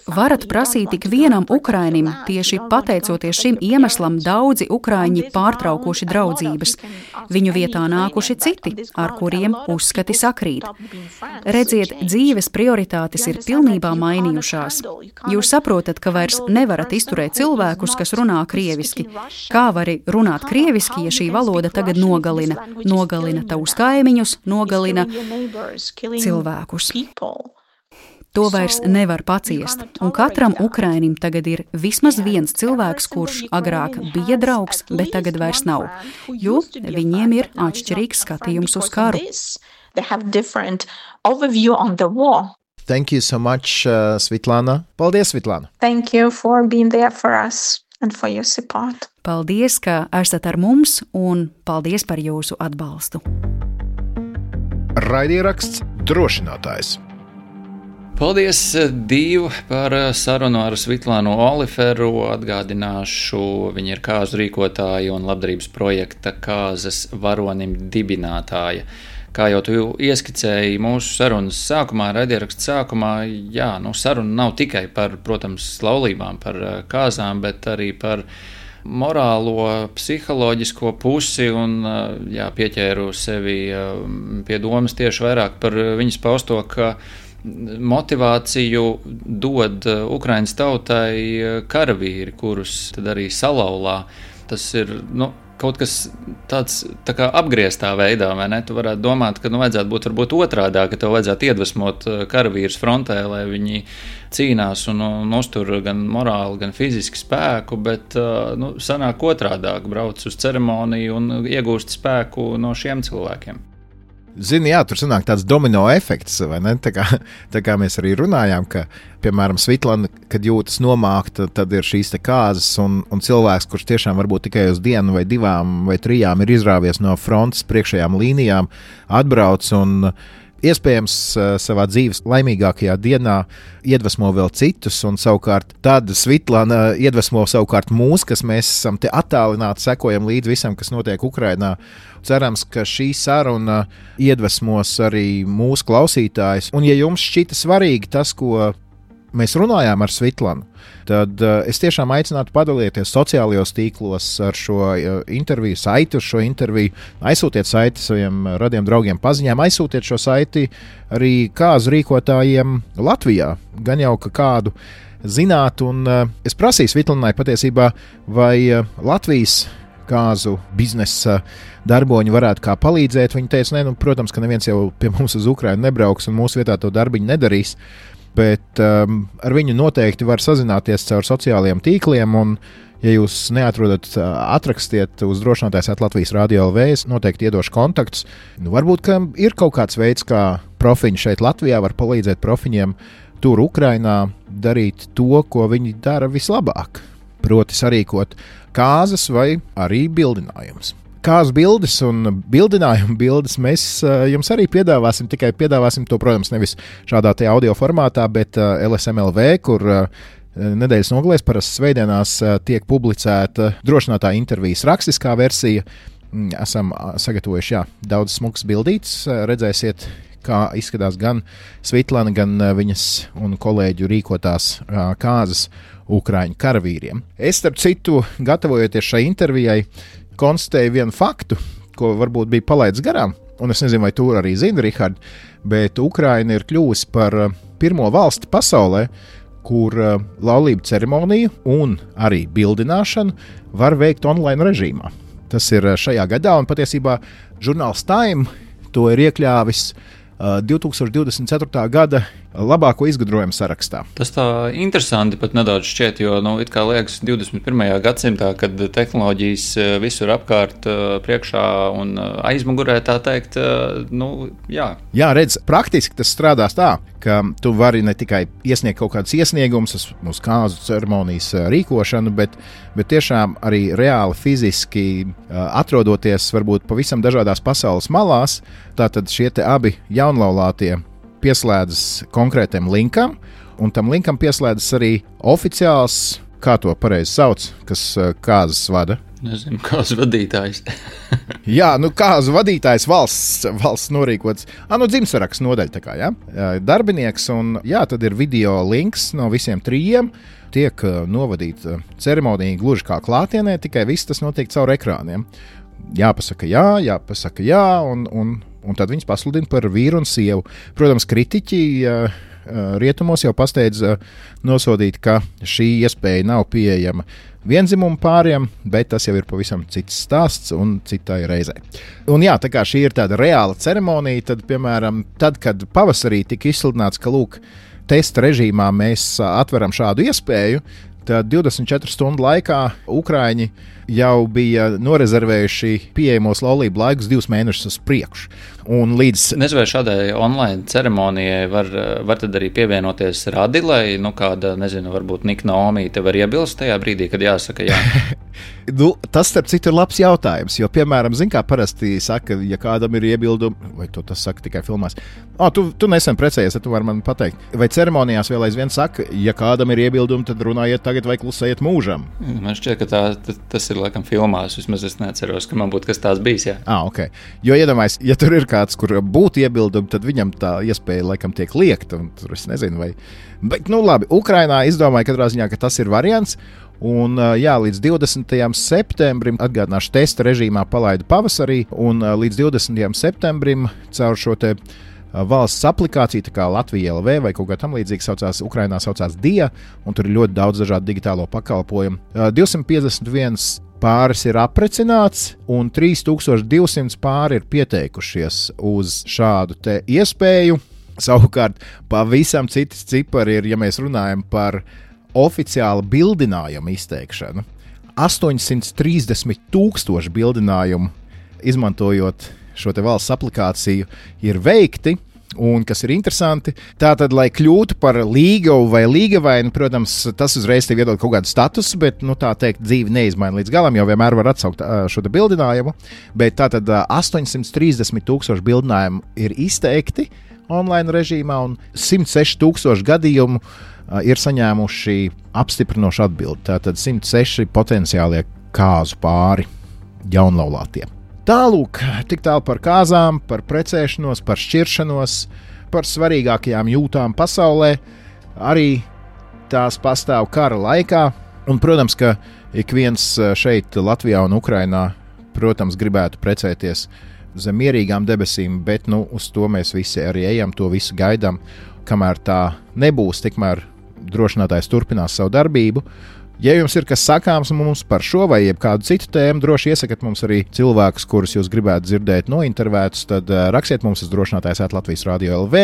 Varat prasīt tik vienam Ukrainim, tieši pateicoties šim iemeslam daudzi Ukraiņi pārtraukuši draudzības. Viņu vietā nākuši citi, ar kuriem uzskati sakrīt. Redziet, dzīves prioritātes ir pilnībā mainījušās. Jūs saprotat, ka vairs nevarat izturēt cilvēkus, kas runā krieviski. Kā vari runāt krieviski, ja šī valoda tagad nogalina, nogalina tavus kaimiņus, nogalina cilvēkus. To vairs nevar paciest, un katram Ukrainim tagad ir vismaz viens cilvēks, kurš agrāk bija draugs, bet tagad vairs nav, jo viņiem ir atšķirīgs skatījums uz karu. Thank you so much, uh, Svitlana. Paldies, Svitlana. Thank you for being there for us and for your support. Paldies, ka esat ar mums, un paldies par jūsu atbalstu. Raidieraksts Drošinātājs. Paldies, Dīva, par sarunu ar Svitlānu Oliferu. Atgādināšu, viņa ir kāzu rīkotāja un labdarības projekta Kāzas varonim dibinātāja. Kā jau tu ieskicēji mūsu sarunas sākumā, raidieraksta sākumā, jā, nu, saruna nav tikai par, protams, laulībām, par kāzām, bet arī par morālo, psiholoģisko pusi un, jā, pieķēru sevi pie domas tieši vairāk par viņas pausto, ka motivāciju dod Ukrainas tautai karavīri, kurus tad arī salauzā. Tas ir, nu, kaut kas tāds tā kā apgrieztā veidā, vai ne? Tu varētu domāt, ka nu, vajadzētu būt varbūt otrādā, ka tev vajadzētu iedvesmot karavīrus frontē, lai viņi cīnās un, un uztur gan morāli, gan fiziski spēku, bet nu, sanāk otrādāk, brauc uz ceremoniju un iegūst spēku no šiem cilvēkiem. Zini, jā, tur sanāk tāds domino efekts, vai ne? Tā kā, tā kā mēs arī runājām, ka, piemēram, Svitlana, kad jūtas nomākta, tad ir šīs te kāzas un, un cilvēks, kurš tiešām varbūt tikai uz dienu vai divām vai trijām ir izrāvies no frontes priekšējām līnijām, atbrauc un iespējams savā dzīves laimīgākajā dienā iedvesmo vēl citus, un savukārt tad Svitlana iedvesmo savukārt mūs, kas mēs esam te attālināti, sekojam līdz visam, kas notiek Ukrainā. Cerams, ka šī saruna iedvesmos arī mūsu klausītājus, un ja jums šķita svarīgi tas, ko mēs runājām ar Svitlanu, tad uh, es tiešām aicinātu padalīties sociālajos tīklos ar šo uh, interviju, saiti uz šo interviju, aizsūtiet saiti saviem radiem draugiem paziņām, aizsūtiet šo saiti arī kāzu rīkotājiem Latvijā, gan jau ka kādu zināt, un uh, es prasīju Svitlanai patiesībā, vai uh, Latvijas kāzu biznesa darboņi varētu kā palīdzēt. Viņa teica, ne, nu, protams, ka neviens jau pie mums uz Ukrainu nebrauks un mūsu vietā to darbiņu nedarīs, bet um, ar viņu noteikti var sazināties caur sociālajiem tīkliem, un, ja jūs neatrodat, atrakstiet uz drošinātājs at Latvijas Radio L V, es noteikti iedošu kontaktus. Nu, varbūt, ka ir kaut kāds veids, kā profiņi šeit Latvijā var palīdzēt profiņiem tur Ukrainā darīt to, ko viņi dara vislabāk, proti sarīkot kāzas vai arī bildinājumus. Kāzu bildes un bildinājumu bildes mēs uh, jums arī piedāvāsim, tikai piedāvāsim to, protams, nevis šādā te audio formātā, bet uh, L S M L V, kur uh, nedēļas nogalēs parasti svētdienās uh, tiek publicēta drošinātāja intervijas rakstiskā versija. Mm, esam uh, sagatavojuši, jā, daudz smukas bildītes, uh, redzēsiet, kā izskatās gan Svitlana, gan uh, viņas un kolēģu rīkotās uh, kāzas Ukraiņu karavīriem. Es, starp citu, gatavojoties šai intervijai, konstatēju vienu faktu, ko varbūt bija palaidis garām, un es nezinu, vai tu arī zini, Rihard, bet Ukraina ir kļuvusi par pirmo valsti pasaulē, kur laulību ceremoniju un arī bildināšanu var veikt online režīmā. Tas ir šajā gadā, un patiesībā žurnāls Time to ir iekļāvis uh, divtūkstoš divdesmit ceturtā gada labāko izgudrojumu sarakstā. Tas tā interesanti pat nedaudz šķiet, jo, nu, it kā liekas divdesmit pirmajā gadsimtā, kad tehnoloģijas visur apkārt priekšā un aizmugurē, tā teikt, nu, jā. Jā, redz, praktiski tas strādās tā, ka tu vari ne tikai iesniegt kaut kādus iesniegumus uz kāzu ceremonijas rīkošanu, bet, bet tiešām arī reāli fiziski atrodoties varbūt pavisam dažādās pasaules malās, tātad šie te abi jaunlaulātie pieslēdzas konkrētam linkam, un tam linkam pieslēdzas arī oficiāls, kā to pareizi sauc, kas kāzas vada. Nezinu, kāzu vadītājs. Jā, nu kāzu vadītājs valsts, valsts norīkots. Ah, nu dzimtsaraksts nodaļa tā kā, jā. Darbinieks, un jā, tad ir video links no visiem trījiem. Tiek novadīta ceremonija gluži kā klātienē, tikai viss tas notiek caur ekrāniem. Jāpasaka jā, jāpasaka jā, un, un, un tad viņas pasludina par vīru un sievu. Protams, kritiķi uh, rietumos jau pasteidz uh, nosodīt, ka šī iespēja nav pieejama vienzimumu pāriem, bet tas jau ir pavisam cits stāsts un citai reizē. Un jā, tā kā šī ir tāda reāla ceremonija, tad, piemēram, tad, kad pavasarī tika izsludināts, ka, lūk, testa režīmā mēs atveram šādu iespēju, tad divdesmit četru stundu laikā Ukraiņi jau bija norezervējuši pieejamos laulību laikus divus mēnešus uz priekšu. Un līdz... Nezinu, vai šādai online ceremonijai var, var tad arī pievienoties radi, lai, nu, kāda, nezinu, varbūt Nika Naomi te var iebilst tajā brīdī, kad jāsaka jā. Nu, tas, starp citu, ir labs jautājums, jo, piemēram, zin kā parasti saka, ja kādam ir iebildumi, vai to tas saka tikai filmās, oh, tu, tu nesen precējies, tad tu vari man pateikt. Vai ceremonijās vēl aizvien saka, ja kādam ir iebildumi, tad runājiet tagad vai klusējiet mūžam? Man šķiet, ka tā, tas ir laikam filmās, vismaz es neatceros, ka man būtu kas tās bijis, jā. Ah, ok. Jo iedomājies, ja tur ir kāds, kur būtu iebildumi, tad viņam tā iespēja laikam tiek liekta, un tur es nezinu, vai... Bet, nu labi, Ukrainā izdomāja katrā ziņā, ka tas ir variants, un jā, līdz divdesmitajam septembrim, atgādināšu, testa režīmā palaida pavasarī, un līdz divdesmitajam septembrim caur šo te valsts aplikāciju, tā kā Latvija L V vai kaut kā tam līdzīgi saucās, Ukrainā saucās D I A, un tur ir ļoti daudz dažādu digitālo pakalpojumu. divsimt piecdesmit viens pāris ir aprecināts, un trīs tūkstoši divsimt pāri ir pieteikušies uz šādu te iespēju. Savukārt, pavisam citas cipari ir, ja mēs runājam par oficiālu bildinājumu izteikšanu. astoņsimt trīsdesmit tūkstoši bildinājumu, izmantojot šo te valsts aplikāciju, ir veikti. Un kas ir interesanti, tātad, lai kļūtu par līgavu vai līgavainu, protams, tas uzreiz tev iedod kaut kādu statusu, bet, nu, tā teikt, dzīve neizmaina līdz galam, jo vienmēr var atsaukt šo te bildinājumu. Bet tātad astoņsimt trīsdesmit tūkstoši bildinājumu ir izteikti online režīmā, un simt seši tūkstoši gadījumu ir saņēmuši apstiprinošu atbildi. Tātad simt seši potenciālie kāzu pāri jaunlaulātie. Tālūk, tik tālu par kāzām, par precēšanos, par šķiršanos, par svarīgākajām jūtām pasaulē. Arī tās pastāv kara laikā. Un, protams, ka ik viens šeit Latvijā un Ukrainā, protams, gribētu precēties zem mierīgām debesīm, bet nu, uz to mēs visi arī ejam, to visu gaidām. Kamēr tā nebūs, tikmēr drošinātājs turpinās savu darbību. Ja jums ir kas sakāms mums par šo vai kādu citu tēmu, droši iesakat mums arī cilvēkus, kurus jūs gribētu dzirdēt nointervētus, tad uh, rakstiet mums uz drošinātājs at Latvijas Radio L V,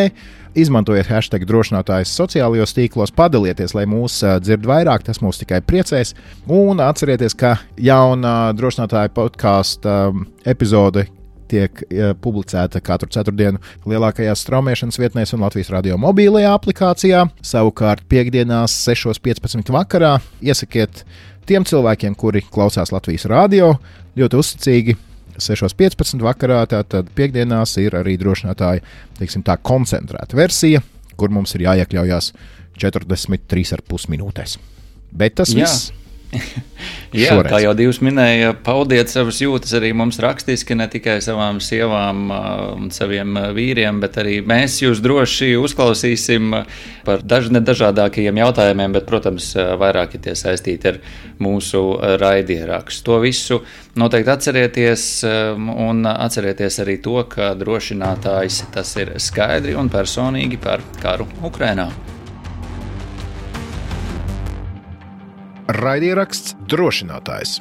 izmantojiet hashtag drošinātājs sociālajos tīklos, padalieties, lai mūs uh, dzird vairāk, tas mūs tikai priecēs, un atcerieties, ka jauna drošinātāja podkāsta um, epizode tiek ja, publicēta katru ceturtdienu lielākajās straumēšanas vietnēs un Latvijas radio mobilajā aplikācijā. Savukārt piekdienās sešos piecpadsmit vakarā iesakiet tiem cilvēkiem, kuri klausās Latvijas radio, ļoti uzticīgi sešos piecpadsmit vakarā, tātad piekdienās ir arī drošinātāja, teiksim tā, koncentrēta versija, kur mums ir jāiekļaujās četrdesmit trīs ar pus minūtēs. Bet tas Jā. viss. Jā, Šoreiz. kā jau divs minēja, paudiet savas jūtas arī mums rakstiski, ne tikai savām sievām un saviem vīriem, bet arī mēs jūs droši uzklausīsim par daž, nedažādākajiem jautājumiem, bet, protams, vairāk ir tie saistīti ar mūsu raidierakstu. To visu noteikti atcerieties un atcerieties arī to, ka drošinātājs tas ir skaidri un personīgi par karu Ukrainā. Raidieraksts drošinātājs.